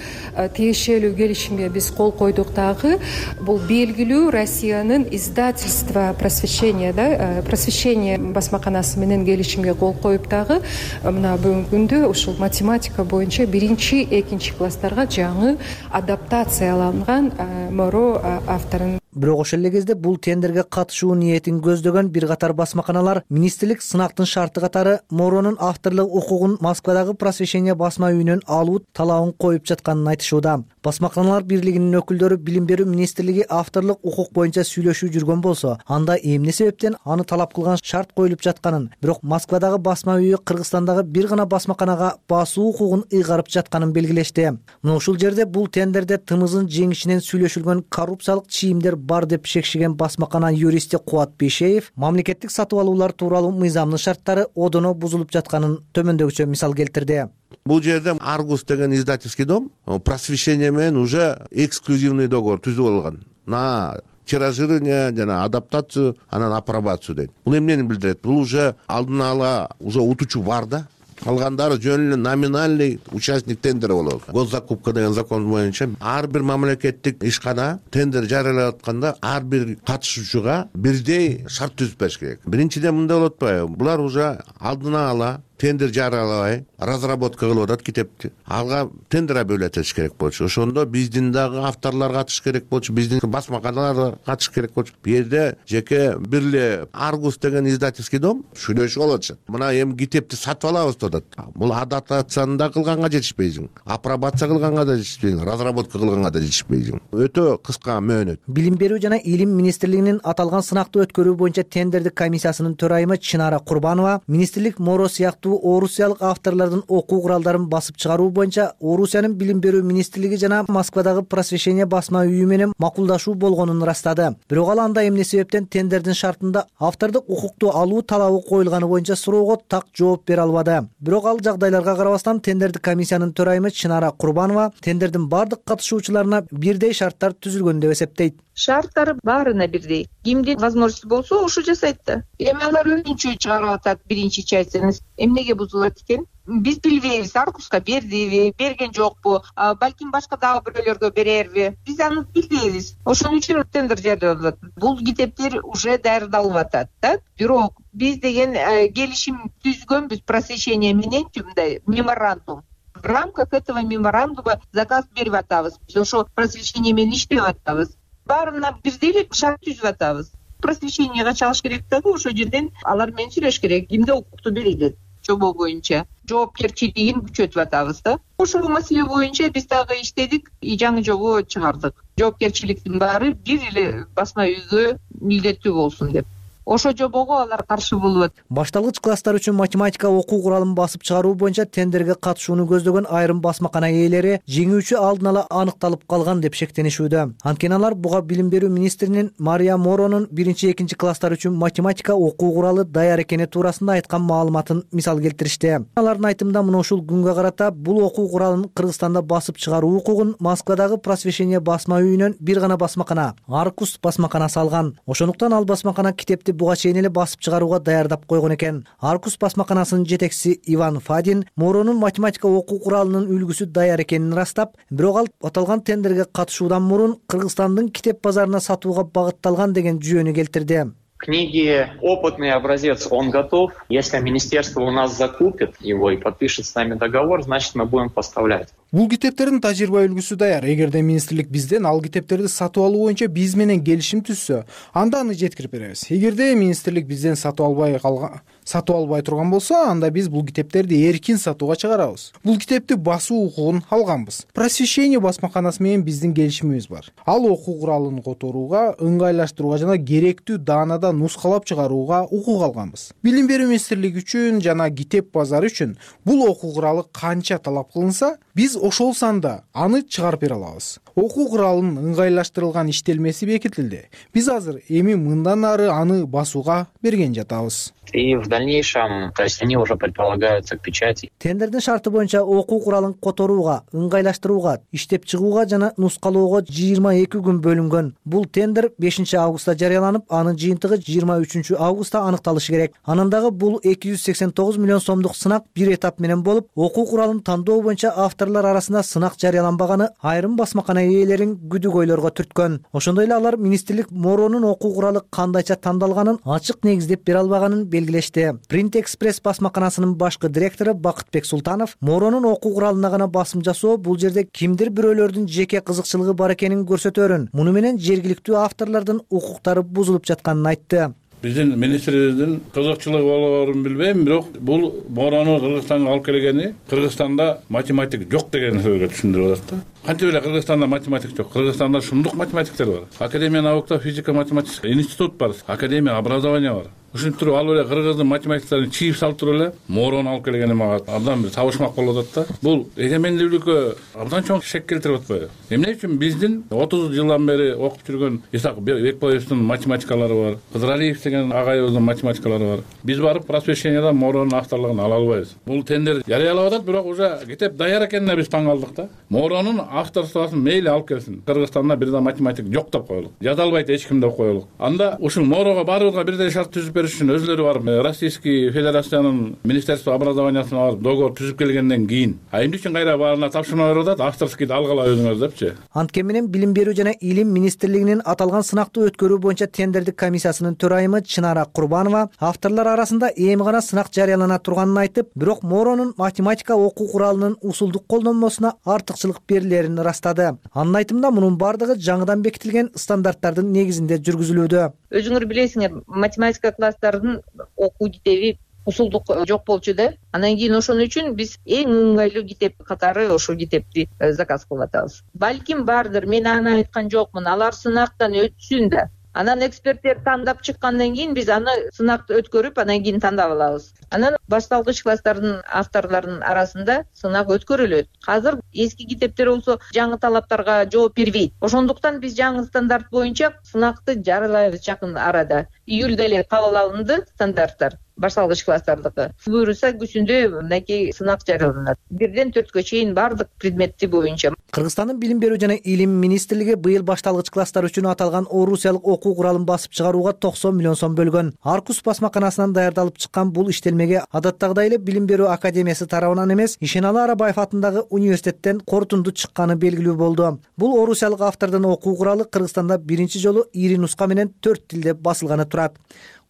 тиешелүү келишимге биз кол койдук дагы. Бул белгилүү Россиянын издательство просвещения, да, просвещение басмаканасы менен келишимге кол коюп дагы мына бүгүнкү күндө ушул математика боюнча биринчи, экинчи класстарга жаңы адаптация адаптацияланган Моро авторун. Бирок ошол эле кезде бул тендерге катышуу ниетин көздөгөн бир катар басмаканалар министрлик сынактын шарты катары Моронун авторлук укугун Москвадагы Просвещение басма үйүнөн алуу талабын коюп жатканын айтышууда. Басмаканалар бирлигинин өкүлдөрү билим берүү министрлиги авторлук укук боюнча сүйлөшүү жүргөн болсо, анда эмне себептен аны талап кылган шарт коюлуп жатканын, бирок Москвадагы басма үйү Кыргызстандагы бир гана басмаканага басуу укугун ыйгарып жатканын белгилешти. Мына ушул жерде бул тендерде тымызын жеңишинен сүйлөшүлгөн коррупциялык чийимдер бар деп шекшиген басмакана юристи Кубат Бейшеев мамлекеттик сатып алуулар тууралуу мыйзамдын шарттары одоно бузулуп жатканын төмөндөгүчө мисал келтирди. Бул жерде Аргус деген издательский дом просвещение менен уже эксклюзивный договор түзүп алган. На тиражирование жана адаптацию, анан апробацию дейт. Бул эмнени билдирет? Бул уже алдын ала уже утуучу бар да. калгандары жөн эле номинальный участник тендера болот. Госзакупка деген закон боюнча ар бир мамлекеттик ишкана тендер жарыялап атканда ар бир катышуучуга бирдей шарт түзүп бериш керек. Биринчиден мындай болуп атпайбы? Булар уже алдына ала тендер жарыялабай разработка кылып атат китепти. Алга тендер бөлүп этиш керек болчу. Ошондо биздин дагы авторлор катышыш керек болчу, биздин басмаканалар катышыш керек болчу. Бу жерде жеке бир эле Аргус деген издательский дом сүйлөшүп алышат. Мына эми китепти сатып алабыз деп атат. Бул адаптацияны да кылганга жетишпейсиң, апробация кылганга да жетишпейсиң, разработка кылганга да жетишпейсиң. Өтө кыска мөөнөт. Билим берүү жана илим министрлигинин аталган сынакты өткөрүү боюнча тендердик комиссиясынын төрайымы Чынара Курбанова министрлик Моро сыяктуу орусиялык авторлордун окуу куралдарын басып чыгаруу боюнча Орусиянын билим берүү министрлиги жана Москвадагы Просвещение басма үйү менен макулдашуу болгонун ырастады. Бирок ал анда эмне себептен тендердин шартында автордук укукту алуу талабы коюлганы боюнча суроого так жооп бере албады. Бирок ал жагдайларга карабастан тендердик комиссиянын төрайымы Чынара Курбанова тендердин бардык катышуучуларына бирдей шарттар түзүлгөн деп эсептейт. Шарттары баарына бирдей. Кимдин возможности болсо ошо жасайт да. Эми алар өзүнчө чыгарып атат биринчи частьын. Эмнеге бузулат экен? Биз билбейбиз, Аргуска бердиби, берген жокпу, балким башка дагы бирөөлөргө берерби? Биз аны билбейбиз. Ошон үчүн тендер жарыялап атат. Бул китептер уже даярдалып атат да. Бирок биз деген келишим түзгөнбүз просвещение менен, мындай меморандум. В рамках этого меморандума заказ берип атабыз. Биз ошо просвещение менен иштеп атабыз. Баарына бирдей эле шарт түзүп атабыз. Просвещениеге чалыш керек дагы ошол жерден алар менен сүйлөш керек. Кимде укукту берилет? Жобо боюнча жоопкерчилигин күчөтүп атабыз да. Ошол маселе боюнча биз дагы иштедик, жаңы жобо чыгардык. Жоопкерчиликтин баары бир эле басма үйгө милдеттүү болсун деп. Ошо жобого алар каршы болуп атат. Башталгыч класстар үчүн математика окуу куралын басып чыгаруу боюнча тендерге катышууну көздөгөн айрым басмакана ээлери жеңүүчү алдын ала аныкталып калган деп шектенишүүдө. Анткени алар буга билим берүү министринин Мария Моронун биринчи экинчи класстар үчүн математика окуу куралы даяр экени туурасында айткан маалыматын мисал келтиришти. Алардын айтымында мына ушул күнгө карата бул окуу куралын Кыргызстанда басып чыгаруу укугун Москвадагы Просвещение басма үйүнөн бир гана басмакана, Аргус басмаканасы алган. Ошондуктан ал басмакана китепти буга чейин эле басып чыгарууга даярдап койгон экен. Аргус басмаканасынын жетекчиси Иван Фадин Моронун математика окуу куралынын үлгүсү даяр экенин ырастап, бирок ал аталган тендерге катышуудан мурун Кыргызстандын китеп базарына сатууга багытталган деген жүйөнү келтирди. Книги опытный образец, он готов. Если министерство у нас закупит его и подпишет с нами договор, значит мы будем поставлять. Бул китептердин тажрыйба үлгүсү даяр. Эгерде министрлик бизден ал китептерди сатып алуу боюнча биз менен келишим түзсө, анда аны жеткирип беребиз. Эгерде министрлик бизден сатып албай калган, сатып албай турган болсо, анда биз бул китептерди эркин сатууга чыгарабыз. Бул китепти басуу укугун алганбыз. Просвещение басмаканасы менен биздин келишимибиз бар. Ал окуу куралын которууга, ыңгайлаштырууга жана керектүү даанада нускалап чыгарууга укук алганбыз. Билим берүү министрлиги үчүн жана китеп базары үчүн бул окуу куралы канча талап кылынса, биз ошол санда аны чыгарып бере алабыз. Окуу куралынын ыңгайлаштырылган иштелмеси бекитилди. Биз азыр эми мындан ары аны басууга берген жатабыз. И в дальнейшем, то есть они уже предполагаются к печати. Тендердин шарты боюнча окуу куралын которууга, ыңгайлаштырууга, иштеп чыгууга жана нускалоого жыйырма эки күн бөлүнгөн. Бул тендер бешинчи августта жарыяланып, анын жыйынтыгы жыйырма үчүнчү августта аныкталышы керек. Анан дагы бул эки жүз сексен тогуз миллион сомдук сынак бир этап менен болуп, окуу куралын тандоо боюнча авторлор арасында сынак жарыяланбаганы айрым басмакана ээлерин күдүк ойлорго түрткөн. Ошондой эле алар министрлик Моронун окуу куралы кандайча тандалганын ачык негиздеп бере албаганын белгилешти. Print Express басмаканасынын башкы директору Бакытбек Султанов Моронун окуу куралына гана басым жасоо бул жерде кимдир бирөөлөрдүн жеке кызыкчылыгы бар экенин көрсөтөрүн, муну менен жергиликтүү авторлордун укуктары бузулуп жатканын айтты. Биздин министрибиздин кызыкчылыгы болоорун билбейм, бирок бул Морону Кыргызстанга алып келгени Кыргызстанда математик жок деген сөзгө түшүндүрүп атат да. Кантип эле Кыргызстанда математик жок? Кыргызстанда шундук математиктер бар. Академия наукта физика математический институт бар, академия образования бар. Ушинтип туруп алып эле кыргыздын математиктерин чийип салып туруп эле Морону алып келгени мага абдан бир табышмак болуп атат да. Бул эгемендүүлүккө абдан чоң шек келтирип атпайбы? Эмне үчүн биздин отуз жылдан бери окуп жүргөн Исак Бекбаевдин математикалары бар, Кыдыралиев деген агайыбыздын математикалары бар. Биз барып просвещениядан Моронун авторлугун ала албайбыз. Бул тендер жарыялап атат, бирок уже китеп даяр экенине биз таң калдык да. Моронун авторствосын мейли алып келсин. Кыргызстанда бир да математик жок деп коелук. Жаза албайт эч ким деп коелук. Анда ушул Морого баарыбызга бирдей шарт түзүп бериш үчүн өзлөрү барып Российский Федерациянын Министерство образованиясына барып договор түзүп келгенден кийин а эмне үчүн кайра баарына тапшырма берип атат, авторскийди алгыла өзүңөр депчи. Анткени менен Билим берүү жана Илим министрлигинин аталган сынакты өткөрүү боюнча тендердик комиссиясынын төрайымы Чынара Курбанова авторлор арасында эми гана сынак жарыялана турганын айтып, бирок Моронун математика окуу куралынын усулдук колдонмосуна артыкчылык берилерин ырастады. Анын айтымында мунун бардыгы жаңыдан бекитилген стандарттардын негизинде жүргүзүлүүдө. Өзүңөр билесиңер, математика класстарынын окуу китеби усулдук жок болчу да. Анан кийин ошон үчүн биз эң ыңгайлуу китеп катары ошол китепти заказ кылып атабыз. Балким бардыр, мен аны айткан жокмун. Алар сынактан өтсүн да. Анан эксперттер тандап чыккандан кийин биз аны сынакты өткөрүп, анан кийин тандап алабыз. Анан башталгыч класстардын авторлорунун арасында сынак өткөрүлөт. Азыр эски китептер болсо жаңы талаптарга жооп бербейт. Ошондуктан биз жаңы стандарт боюнча сынакты жарыялайбыз жакын арада. Июлда эле кабыл алынды стандарттар. Башталгыч класстардыкы. Буюрса күзүндө мынакей сынак жарыяланат. Бирден төрткө чейин бардык предметти боюнча. Кыргызстандын Билим берүү жана Илим министрлиги быйыл башталгыч класстар үчүн аталган орусиялык окуу куралын басып чыгарууга токсон миллион сом бөлгөн. Аркус басмаканасынан даярдалып чыккан бул иштелмеге адаттагыдай эле Билим берүү академиясы тарабынан эмес, Ишеналы Арабаев атындагы университеттен корутунду чыкканы белгилүү болду. Бул орусиялык автордун окуу куралы Кыргызстанда биринчи жолу ири нуска менен төрт тилде басылганы турат.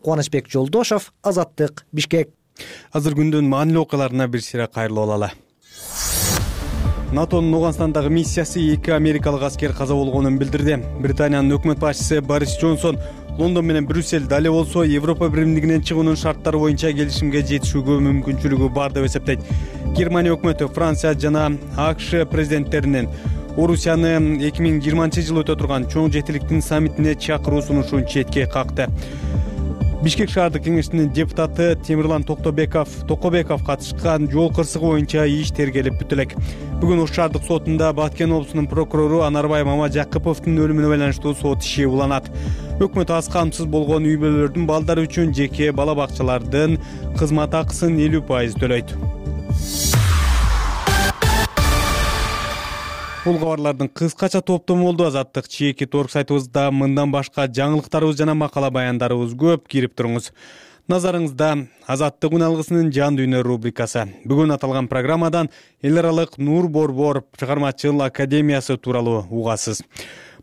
Кубанычбек Жолдошов, Азаттык, Бишкек. Азыр күндүн маанилүү окуяларына бир сыйра кайрылып алалы. НАТОнун Ооганстандагы миссиясы эки америкалык аскер каза болгонун билдирди. Британиянын өкмөт башчысы Борис Джонсон Лондон менен Брюссель дале болсо Европа биримдигинен чыгуунун шарттары боюнча келишимге жетишүүгө мүмкүнчүлүгү бар деп эсептейт. Германия өкмөтү Франция жана АКШ президенттеринин Орусияны эки миң жыйырманчы жылы өтө турган чоң жетиликтин саммитине чакыруу сунушун четке какты. Бишкек шаардык кеңешинин депутаты Темирлан Токтобеков Токобеков катышкан жол кырсыгы боюнча иш тергелип бүтө элек. Бүгүн Ош шаардык сотунда Баткен облусунун прокурору Анарбай Мамажакыповдун өлүмүнө байланыштуу сот иши уланат. Өкмөт аз камсыз болгон үй бүлөлөрдүн балдары үчүн жеке бала бакчалардын кызмат акысын элүү пайыз төлөйт. Бул кабарлардын кыскача топтому болду. Азаттык чеки торг сайтыбызда мындан башка жаңылыктарыбыз жана макала баяндарыбыз көп. Кирип туруңуз. Назарыңызда Азаттык күн алгысынын жан дүйнө рубрикасы. Бүгүн аталган программадан эл аралык Нур Борбор чыгармачыл академиясы тууралуу угасыз.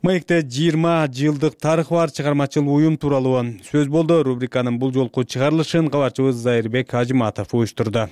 Маекте жыйырма жылдык тарыхы бар чыгармачыл уюм тууралуу сөз болду. Рубриканын бул жолку чыгарылышын кабарчыбыз Зайырбек Ажыматов уюштурду.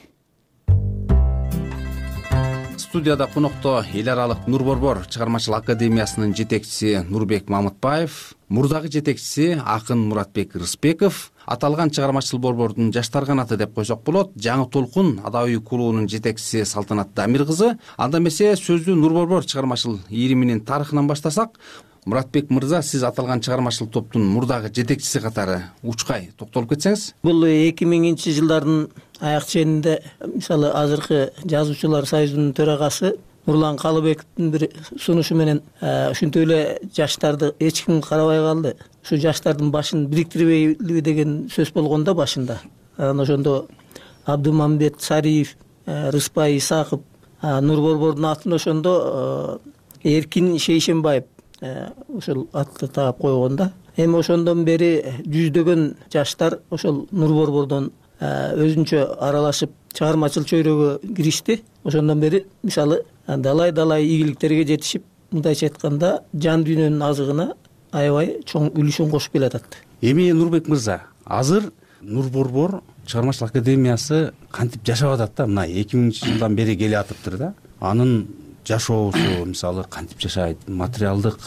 Студияда конокто эл аралык Нур Борбор чыгармачыл академиясынын жетекчиси Нурбек Мамытбаев, мурдагы жетекчиси акын Муратбек Рыспеков, аталган чыгармачыл борбордун жаштар канаты деп койсок болот, жаңы толкун адабий клубунун жетекчиси Салтанат Дамир кызы. Анда эмесе сөздү Нур Борбор чыгармачыл ийриминин тарыхынан баштасак, Муратбек мырза, сиз аталган чыгармачыл топтун мурдагы жетекчиси катары учкай токтолуп кетсеңиз. Бул эки миңинчи жылдардын аяк ченинде мисалы азыркы жазуучулар союзунун төрагасы Нурлан Калыбековдун бир сунушу менен ушинтип эле жаштарды эч ким карабай калды. Ушу жаштардын башын бириктирбейлиби деген сөз болгон да башында. Анан ошондо Абдымамбет Сариев, Рыспай Исаков, Нур Борбордун атын ошондо Эркин Шейшенбаев ошол атты таап койгон да. Эми ошондон бери жүздөгөн жаштар ошол Нур Борбордон өзүнчө аралашып чыгармачыл чөйрөгө киришти. Ошондон бери мисалы далай-далай ийгиликтерге жетишип, мындайча айтканда жан дүйнөнүн азыгына аябай чоң үлүшүн кошуп келатат. Эми Нурбек мырза, азыр Нур Борбор чыгармачыл академиясы кантип жашап атат да? Мына эки миңинчи жылдан бери келе атыптыр да. Анын жашоосу мисалы кантип жашайт? Материалдык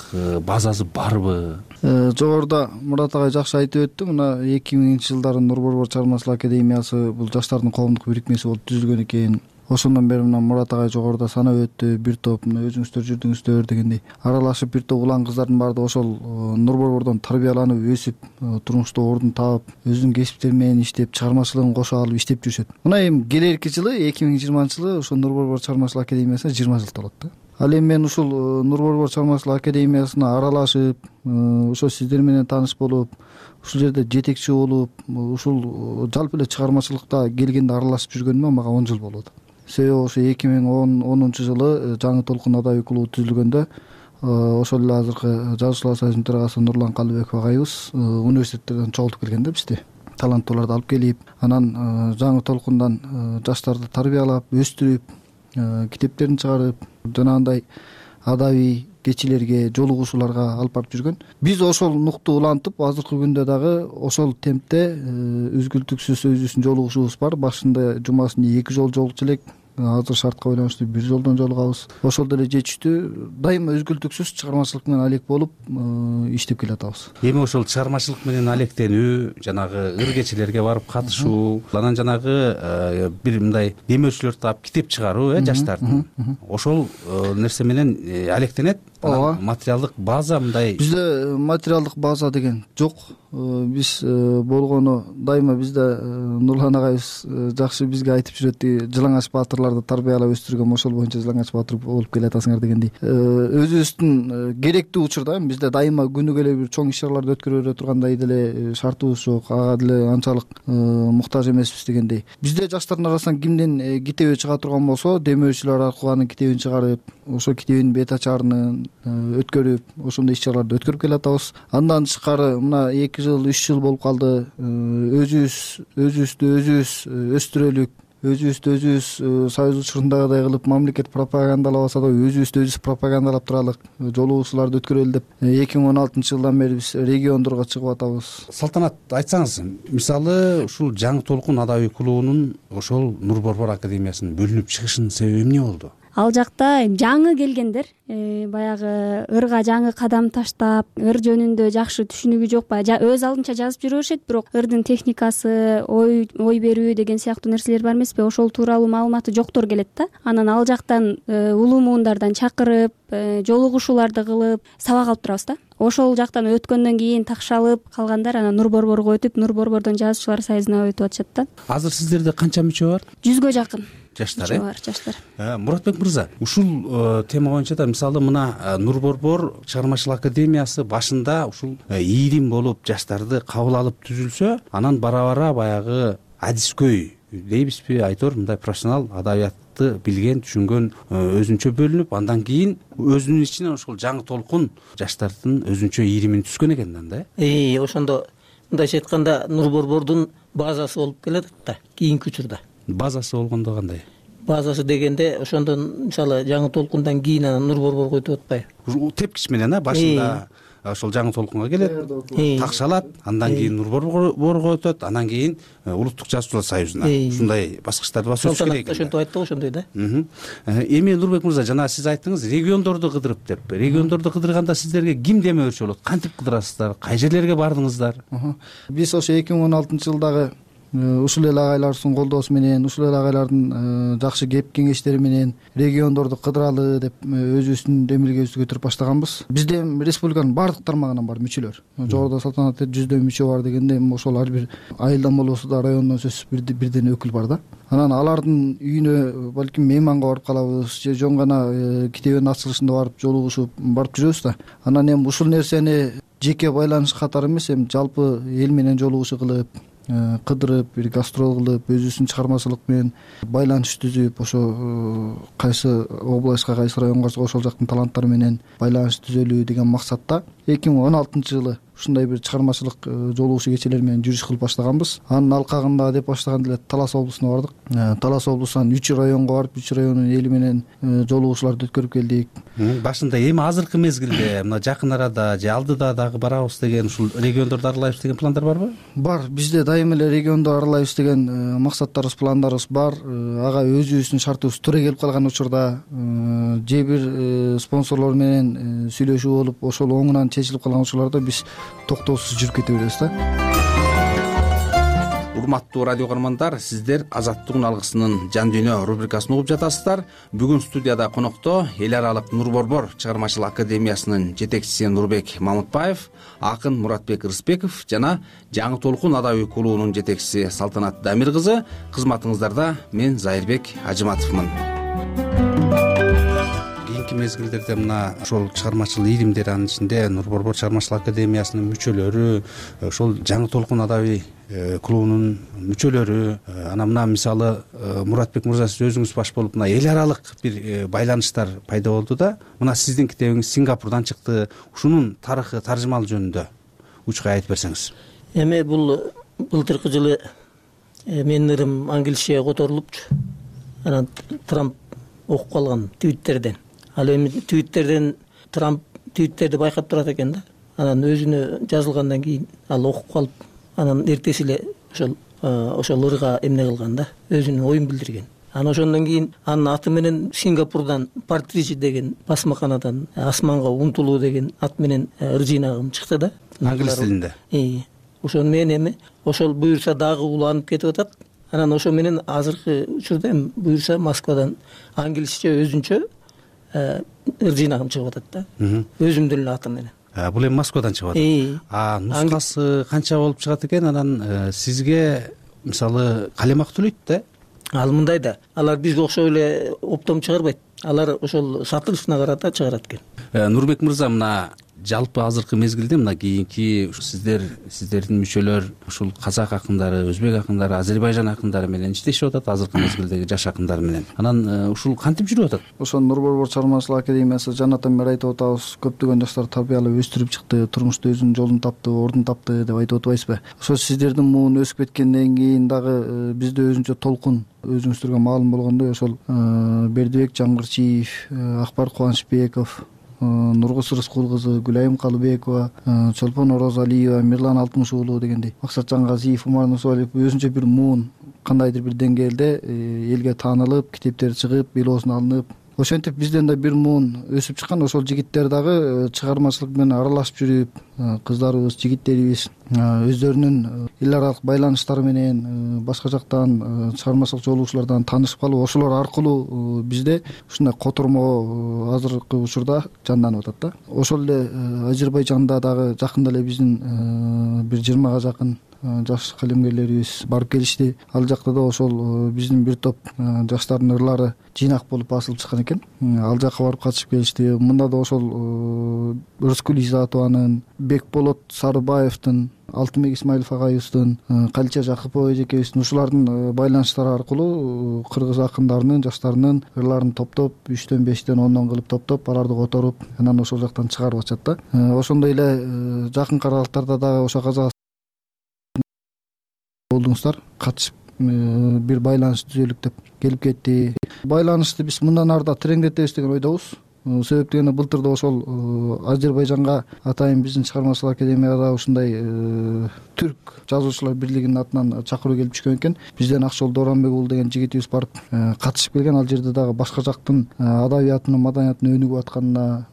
базасы барбы? Жогоруда Мурат агай жакшы айтып өттү. Мына эки миңинчи жылдары Нур Борбор чыгармачыл академиясы бул жаштардын коомдук бирикмеси болуп түзүлгөн экен. Ошондон бери мына Мурат агай жогоруда санап өттү. Бир топ мына өзүңүздөр жүрдүңүздөр дегендей аралашып бир топ улан кыздардын баардыгы ошол Нур Борбордон тарбияланып, өсүп, турмушта ордун таап, өзүнүн кесиптери менен иштеп, чыгармачылыгын кошо алып иштеп жүрүшөт. Мына эми келерки жылы эки миң жыйырманчы жылы ошо Нур Борбор чыгармачыл академиясына жыйырма жыл толот да. Ал эми мен ушул Нур Борбор чыгармачыл академиясына аралашып, ошо сиздер менен тааныш болуп, ушул жерде жетекчи болуп, ушул жалпы эле чыгармачылыкта келгенде аралашып жүргөнүмө мага он жыл болду. себеби ошо эки миң онунчу жылы жаңы толкун адабий клубу түзүлгөндө ошол эле азыркы жазуучулар союзунун төрагасы Нурлан Калыбеков агайыбыз университеттерден чогултуп келген да бизди, таланттууларды алып келип, анан жаңы толкундан жаштарды тарбиялап, өстүрүп, китептерин чыгарып, жанагындай адабий кечилерге, жолугушууларга алып барып жүргөн. Биз ошол нукту улантып, азыркы күндө дагы ошол темпте үзгүлтүксүз өзүбүздүн жолугушуубуз бар. Башында жумасына эки жолу жолугучу элек, азыр шартка байланыштуу бир жолдон жолугабыз. Ошол деле жетиштүү, дайыма үзгүлтүксүз чыгармачылык менен алек болуп иштеп келатабыз. Эми ошол чыгармачылык менен алектенүү, жанагы ыр кечелерге барып катышуу, анан жанагы бир мындай демөөрчүлөрдү таап китеп чыгаруу, э жаштардын. Ошол нерсе менен алектенет. Ооба. Материалдык база мындай. Бизде материалдык база деген жок. Биз болгону дайыма бизде Нурлан агайыбыз жакшы бизге айтып жүрөт, Жылаңач баатырларды тарбиялап өстүргөн, ошол боюнча Жылаңач баатыр болуп келатасыңар дегендей. Өзүбүздүн керектүү учурда бизде дайыма күнүгө эле бир чоң иш чараларды өткөрө бере тургандай деле шартыбыз жок, ага деле анчалык муктаж эмеспиз дегендей. Бизде жаштардын арасынан кимдин китеби чыга турган болсо, демөөрчүлөр аркылуу анын китебин чыгарып, ошо китебин бет ачарын өткөрүп, ошондой иш чараларды өткөрүп келатабыз. Андан тышкары мына эки жыл, үч жыл болуп калды. Өзүбүз өзүбүздү өзүбүз өстүрөлүк, өзүбүздү өзүбүз союз учурундагыдай кылып мамлекет пропагандалабаса да өзүбүздү өзүбүз пропагандалап туралык, жолугушууларды өткөрөлү деп эки миң он алтынчы жылдан бери биз региондорго чыгып атабыз. Салтанат, айтсаңыз, мисалы ушул жаңы толкун адабий клубунун ошол Нур Борбор академиясынын бөлүнүп чыгышынын себеби эмне болду? Ал жакта жаңы келгендер баягы ырга жаңы кадам таштап, ыр жөнүндө жакшы түшүнүгү жок, баягы өз алдынча жазып жүрүшөт, бирок ырдын техникасы, ой ой берүү деген сыяктуу нерселер бар эмеспи, ошол тууралуу маалыматы жоктор келет да. Анан ал жактан улуу муундардан чакырып, жолугушууларды кылып сабак алып турабыз да. Ошол жактан өткөндөн кийин такшалып калгандар анан Нур Борборго өтүп, Нур Борбордон жазуучулар союзуна өтүп атышат да. Азыр сиздерде канча мүчө бар? Жүзгө жакын жаштар, э? Бар, жаштар. Муратбек мырза, ушул тема боюнча да мисалы мына Нур Борбор чыгармачылык академиясы башында ушул ийрим болуп жаштарды кабыл алып түзүлсө, анан бара-бара баягы адискөй дейбизби, айтор мындай профессионал адабиятты билген, түшүнгөн өзүнчө бөлүнүп, андан кийин өзүнүн ичинен ошол жаңы толкун жаштардын өзүнчө ийримин түзгөн экен да. Э, ошондо мындайча айтканда Нур Борбордун базасы болуп келет да, кийинки учурда. Базасы болгондо кандай? Базасы дегенде ошондон мисалы жаңы толкундан кийин анан Нур Борборго өтүп атпайбы? Тепкич менен, а башында ошол жаңы толкунга келет, такшалат, андан кийин Нур Борборго өтөт, андан кийин Улуттук жазуучулар союзуна. Ушундай баскычтарды басуу керек. Ошентип айтты, ошондой да. Эми Нурбек мырза, жана сиз айттыңыз, региондорду кыдырып деп. Региондорду кыдырганда сиздерге ким демөөрчү болот? Кантип кыдырасыздар? Кай жерлерге бардыңыздар? Биз ошо эки миң он алтынчы жылдагы ушул эле агайлардын колдоосу менен, ушул эле агайлардын жакшы кеп кеңештери менен региондорду кыдыралы деп өзүбүздүн эмгегибизди көтөрүп баштаганбыз. Бизде республиканын баардык тармагынан бар мүчөлөр. Жогоруда Салтанат жүздөй мүчө бар дегенде, ошол ар бир айылдан болбосо да райондон сөзсүз бирден өкүл бар да. Анан алардын үйүнө балким мейманга барып калабыз, же жөн гана китебинин ачылышында барып жолугушуп барып жүрөбүз да. Анан эми ушул нерсени жеке байланыш катары эмес, эми жалпы эл менен жолугушуу кылып, кыдырып, бир гастрол кылып, өзүбүздүн чыгармачылык менен байланыш түзүп, ошо кайсы областка, кайсы районго ошол жактын таланттары менен байланыш түзөлүү деген максатта эки миң он алтынчы жылы ушундай бир чыгармачылык жолугушуу кечелери менен жүрүш кылып баштаганбыз. Анын алкагында деп баштаганда эле Талас облусуна бардык. Талас облусунан үч районго барып, үч райондун эли менен жолугушууларды өткөрүп келдик. Башында эми азыркы мезгилде мына жакын арада же алдыда дагы барабыз деген, ушул региондорду аралайбыз деген пландар барбы? Бар, бизде дайыма эле регионду аралайбыз деген максаттарыбыз, пландарыбыз бар. Ага өзүбүздүн шартыбыз туура келип калган учурда же бир спонсорлор менен сүйлөшүү болуп, ошол оңунан чечилип калган учурларда биз токтоосуз жүрүп кете беребиз да. Урматтуу радио көрөрмандар, сиздер Азаттыктын алгысынын жан дүйнө рубрикасын угуп жатасыздар. Бүгүн студияда конокто эл аралык Нур Борбор чыгармачылык академиясынын жетекчиси Нурбек Мамытбаев, акын Муратбек Рыспеков жана жаңы толкун адабий клубунун жетекчиси Салтанат Дамир кызы. Кызматыңыздарда мен Зайырбек Ажыматовмун. акыркы мезгилдерде мына ошол чыгармачыл ийримдер, анын ичинде Нур Борбор чыгармачылык академиясынын мүчөлөрү, ошол жаңы толкун адабий клубунун мүчөлөрү, анан мына мисалы Муратбек мырза, сиз өзүңүз баш болуп мына эл аралык бир байланыштар пайда болду да, мына сиздин китебиңиз Сингапурдан чыкты. Ушунун тарыхы, таржымал жөнүндө учкай айтып берсеңиз. Эми бул былтыркы жылы менин ырым англисчеге которулупчу. Анан Трамп окуп калган твиттерден. Ал эми твиттерден Трамп твиттерди байкап турат экен да. Анан өзүнө жазылгандан кийин ал окуп калып, анан эртеси эле ошол ошол ырга эмне кылган да, өзүнүн оюн билдирген. Анан ошондон кийин анын аты менен Сингапурдан Партридж деген басмаканадан асманга умтулуу деген ат менен ыр жыйнагым чыкты да. Англис тилинде. Ошону менен эми ошол буюрса дагы уланып кетип атат. Анан ошо менен азыркы учурда эми буюрса Москвадан англисче өзүнчө ыр жыйнагым чыгып атат да. Өзүмдүн эле атым менен. Бул эми Москвадан чыгып атат. А нускасы канча болуп чыгат экен? Анан сизге мисалы калемак төлөйт да? Ал мындай да, алар бизге окшоп эле оптом чыгарбайт. Алар ошол сатылышына карата чыгарат экен. Нурбек мырза, мына жалпы азыркы мезгилде мына кийинки сиздер, сиздердин мүчөлөр ушул казак акындары, өзбек акындары, Азербайжан акындары менен иштешип атат, азыркы мезгилдеги жаш акындар менен. Анан ушул кантип жүрүп атат? Ошол Нур Борбор чыгармачылык академиясы жанатан бери айтып атабыз, көптөгөн жаштар тарбиялап өстүрүп чыкты, турмушта өзүнүн жолун тапты, ордун тапты деп айтып атпайсызбы? Ошол сиздердин муун өсүп кеткенден кийин дагы бизде өзүнчө толкун, өзүңүздөргө маалым болгондой, ошол Бердибек Жамгырчиев, Акбар Кубанычбеков, Нургус Рыскул кызы, Гүлайым Калыбекова, Чолпон Орозалиева, Мирлан Алтымыш уулу дегендей, Максатжан Газиев, Умар Нусуалиев өзүнчө бир муун кандайдыр бир деңгээлде элге таанылып, китептери чыгып, белосун алынып, ошентип бизден да бир муун өсүп чыккан. Ошол жигиттер дагы чыгармачылык менен аралашып жүрүп, кыздарыбыз, жигиттерибиз өздөрүнүн эл аралык байланыштары менен башка жактан чыгармачылык жолугушуулардан таанышып калып, ошолор аркылуу бизде ушундай котормо азыркы учурда жанданып атат да. Ошол эле Азербайжанда дагы жакында эле биздин бир жыйырмага жакын жаш калемгерлерибиз барып келишти. Ал жакта да ошол биздин бир топ жаштардын ырлары жыйнак болуп басылып чыккан экен. Ал жака барып катышып келишти. Мында да ошол Рыскүл Изатованын, Бекболот Сарыбаевдин, Алтынбек Исмаилов агайыбыздын, Калича Жакыпова эжекебиздин ушулардын байланыштары аркылуу кыргыз акындарынын, жаштарынын ырларын топтоп, үчтөн, бештен, ондон кылып топтоп, аларды которуп, анан ошол жактан чыгарып атышат да. Ошондой эле жакынкы аралыктарда дагы ошо казак болдуңуздар, катышып бир байланыш түзөлүк деп келип кетти. Байланышты биз мындан ары да тереңдетебиз деген ойдобуз. Себеп дегенде былтыр да ошол Азербайжанга атайын биздин чыгармачылык академияда ушундай түрк жазуучулар бирлигинин атынан чакыруу келип түшкөн экен. Бизден Акчол Доронбек уулу деген жигитибиз барып катышып келген. Ал жерде дагы башка жактын адабиятынын, маданиятынын өнүгүп атканына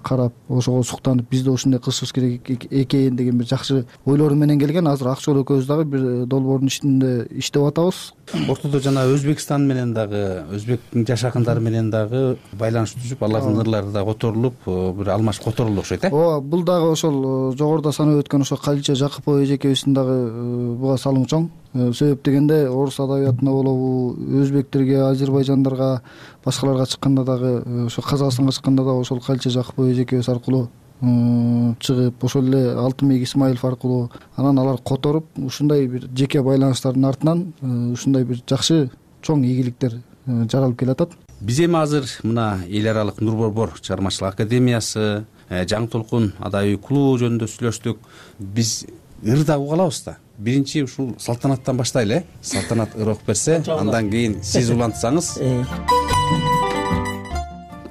карап, ошого суктанып, биз да ушундай кылышыбыз керек экен деген бир жакшы ойлору менен келген. Азыр Акчол экөөбүз дагы бир долбоордун ичинде иштеп атабыз. Ортодо жана Өзбекстан менен дагы, өзбектин жаш акындары менен дагы байланыш түзүп, алардын ырлары да которулуп, бир алмаш которулду окшойт, э? Ооба, бул дагы ошол жогоруда санап өткөн ошо Калича Жакыпова эжекебиздин дагы буга салымы чоң. Себеп дегенде орус адабиятына болобу, өзбектерге, азербайжандарга, башкаларга чыкканда дагы, ошо Казакстанга чыкканда дагы ошол Калича Жакыпова эжекебиз аркылуу чыгып, ошол эле Алтынбек Исмаилов аркылуу анан алар которуп, ушундай бир жеке байланыштардын артынан ушундай бир жакшы чоң ийгиликтер жаралып келатат. Биз эми азыр мына эл аралык Нур Борбор чыгармачылык академиясы, жаңы толкун адабий клубу жөнүндө сүйлөштүк. Биз ыр да уга алабыз да. Биринчи ушул салтанаттан баштайлы, э? Салтанат ыр окуп берсе, андан кийин сиз улантсаңыз.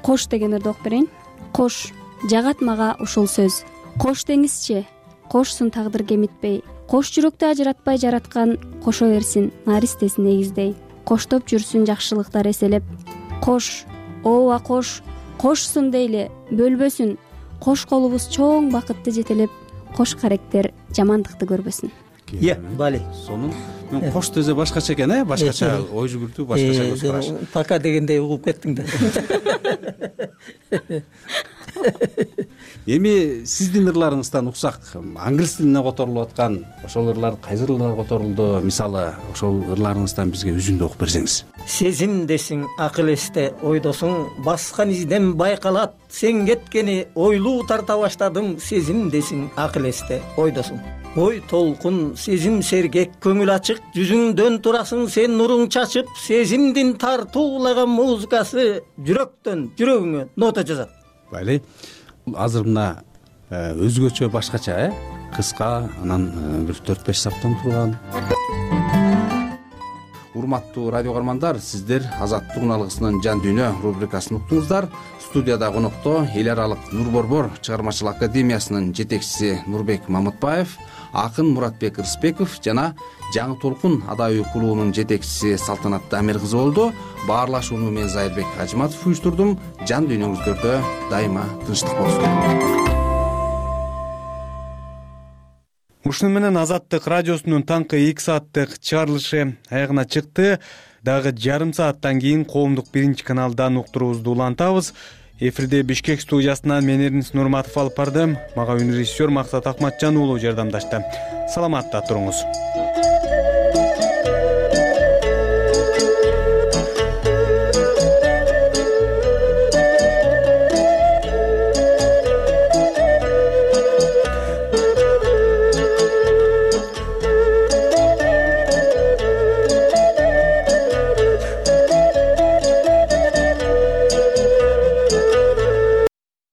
Кош деген ырды окуп берейин. Кош жагат мага ушул сөз. Кош деңизчи, кошсун тагдыр кемитпей, кош жүрөктү ажыратпай жараткан, кошо берсин наристесин эгиздей. Коштоп жүрсүн жакшылыктар эселеп. Кош, ооба кош, кошсун дейли, бөлбөсүн. Кош колубуз чоң бакытты жетелеп, кош каректер жамандыкты көрбөсүн. Е, бали. Сонун мен кош дезе башкача экен, э? Башкача ой жүгүртүү, башкача көз караш. Пока дегендей угуп кеттиң да. эми сиздин ырларыңыздан уксак, англис тилине которулуп аткан ошол ырлар кайсы ырлар которулду? Мисалы, ошол ырларыңыздан бизге үзүндү окуп берсеңиз. Сезимдесиң, акыл эсте, ойдосуң, баскан изден байкалат, сен кеткени ойлуу тарта баштадым, сезимдесиң, акыл эсте, ойдосуң. Ой толкун, сезим сергек, көңүл ачык, жүзүңдөн турасың сен нуруң чачып, сезимдин тартуулаган музыкасы жүрөктөн жүрөгүңө нота жазат. Байли, азыр мына өзгөчө башкача, э? Кыска, анан бир төрт беш саптан турган. Урматтуу радио каармандар, сиздер Азаттык уналгысынын Жан дүйнө рубрикасын уктуңуздар. Студияда конокто эл аралык Нур Борбор чыгармачылык академиясынын жетекчиси Нурбек Мамытбаев, акын Муратбек Рыспеков жана Жаңы толкун адабий клубунун жетекчиси Салтанат Дамир кызы болду. Баарлашууну мен Зайырбек Ажыматов уюштурдум. Жан дүйнөңүздөрдө дайыма тынчтык болсун. Ушуну менен Азаттык радиосунун таңкы эки сааттык чыгарылышы аягына чыкты. Дагы жарым сааттан кийин коомдук биринчи каналдан уктуруубузду улантабыз. Эфирде Бишкек студиясынан мен Эрнис Нурматов алып бардым. Мага үнрежиссер Максат Акматжан уулу жардамдашты. Саламатта туруңуз.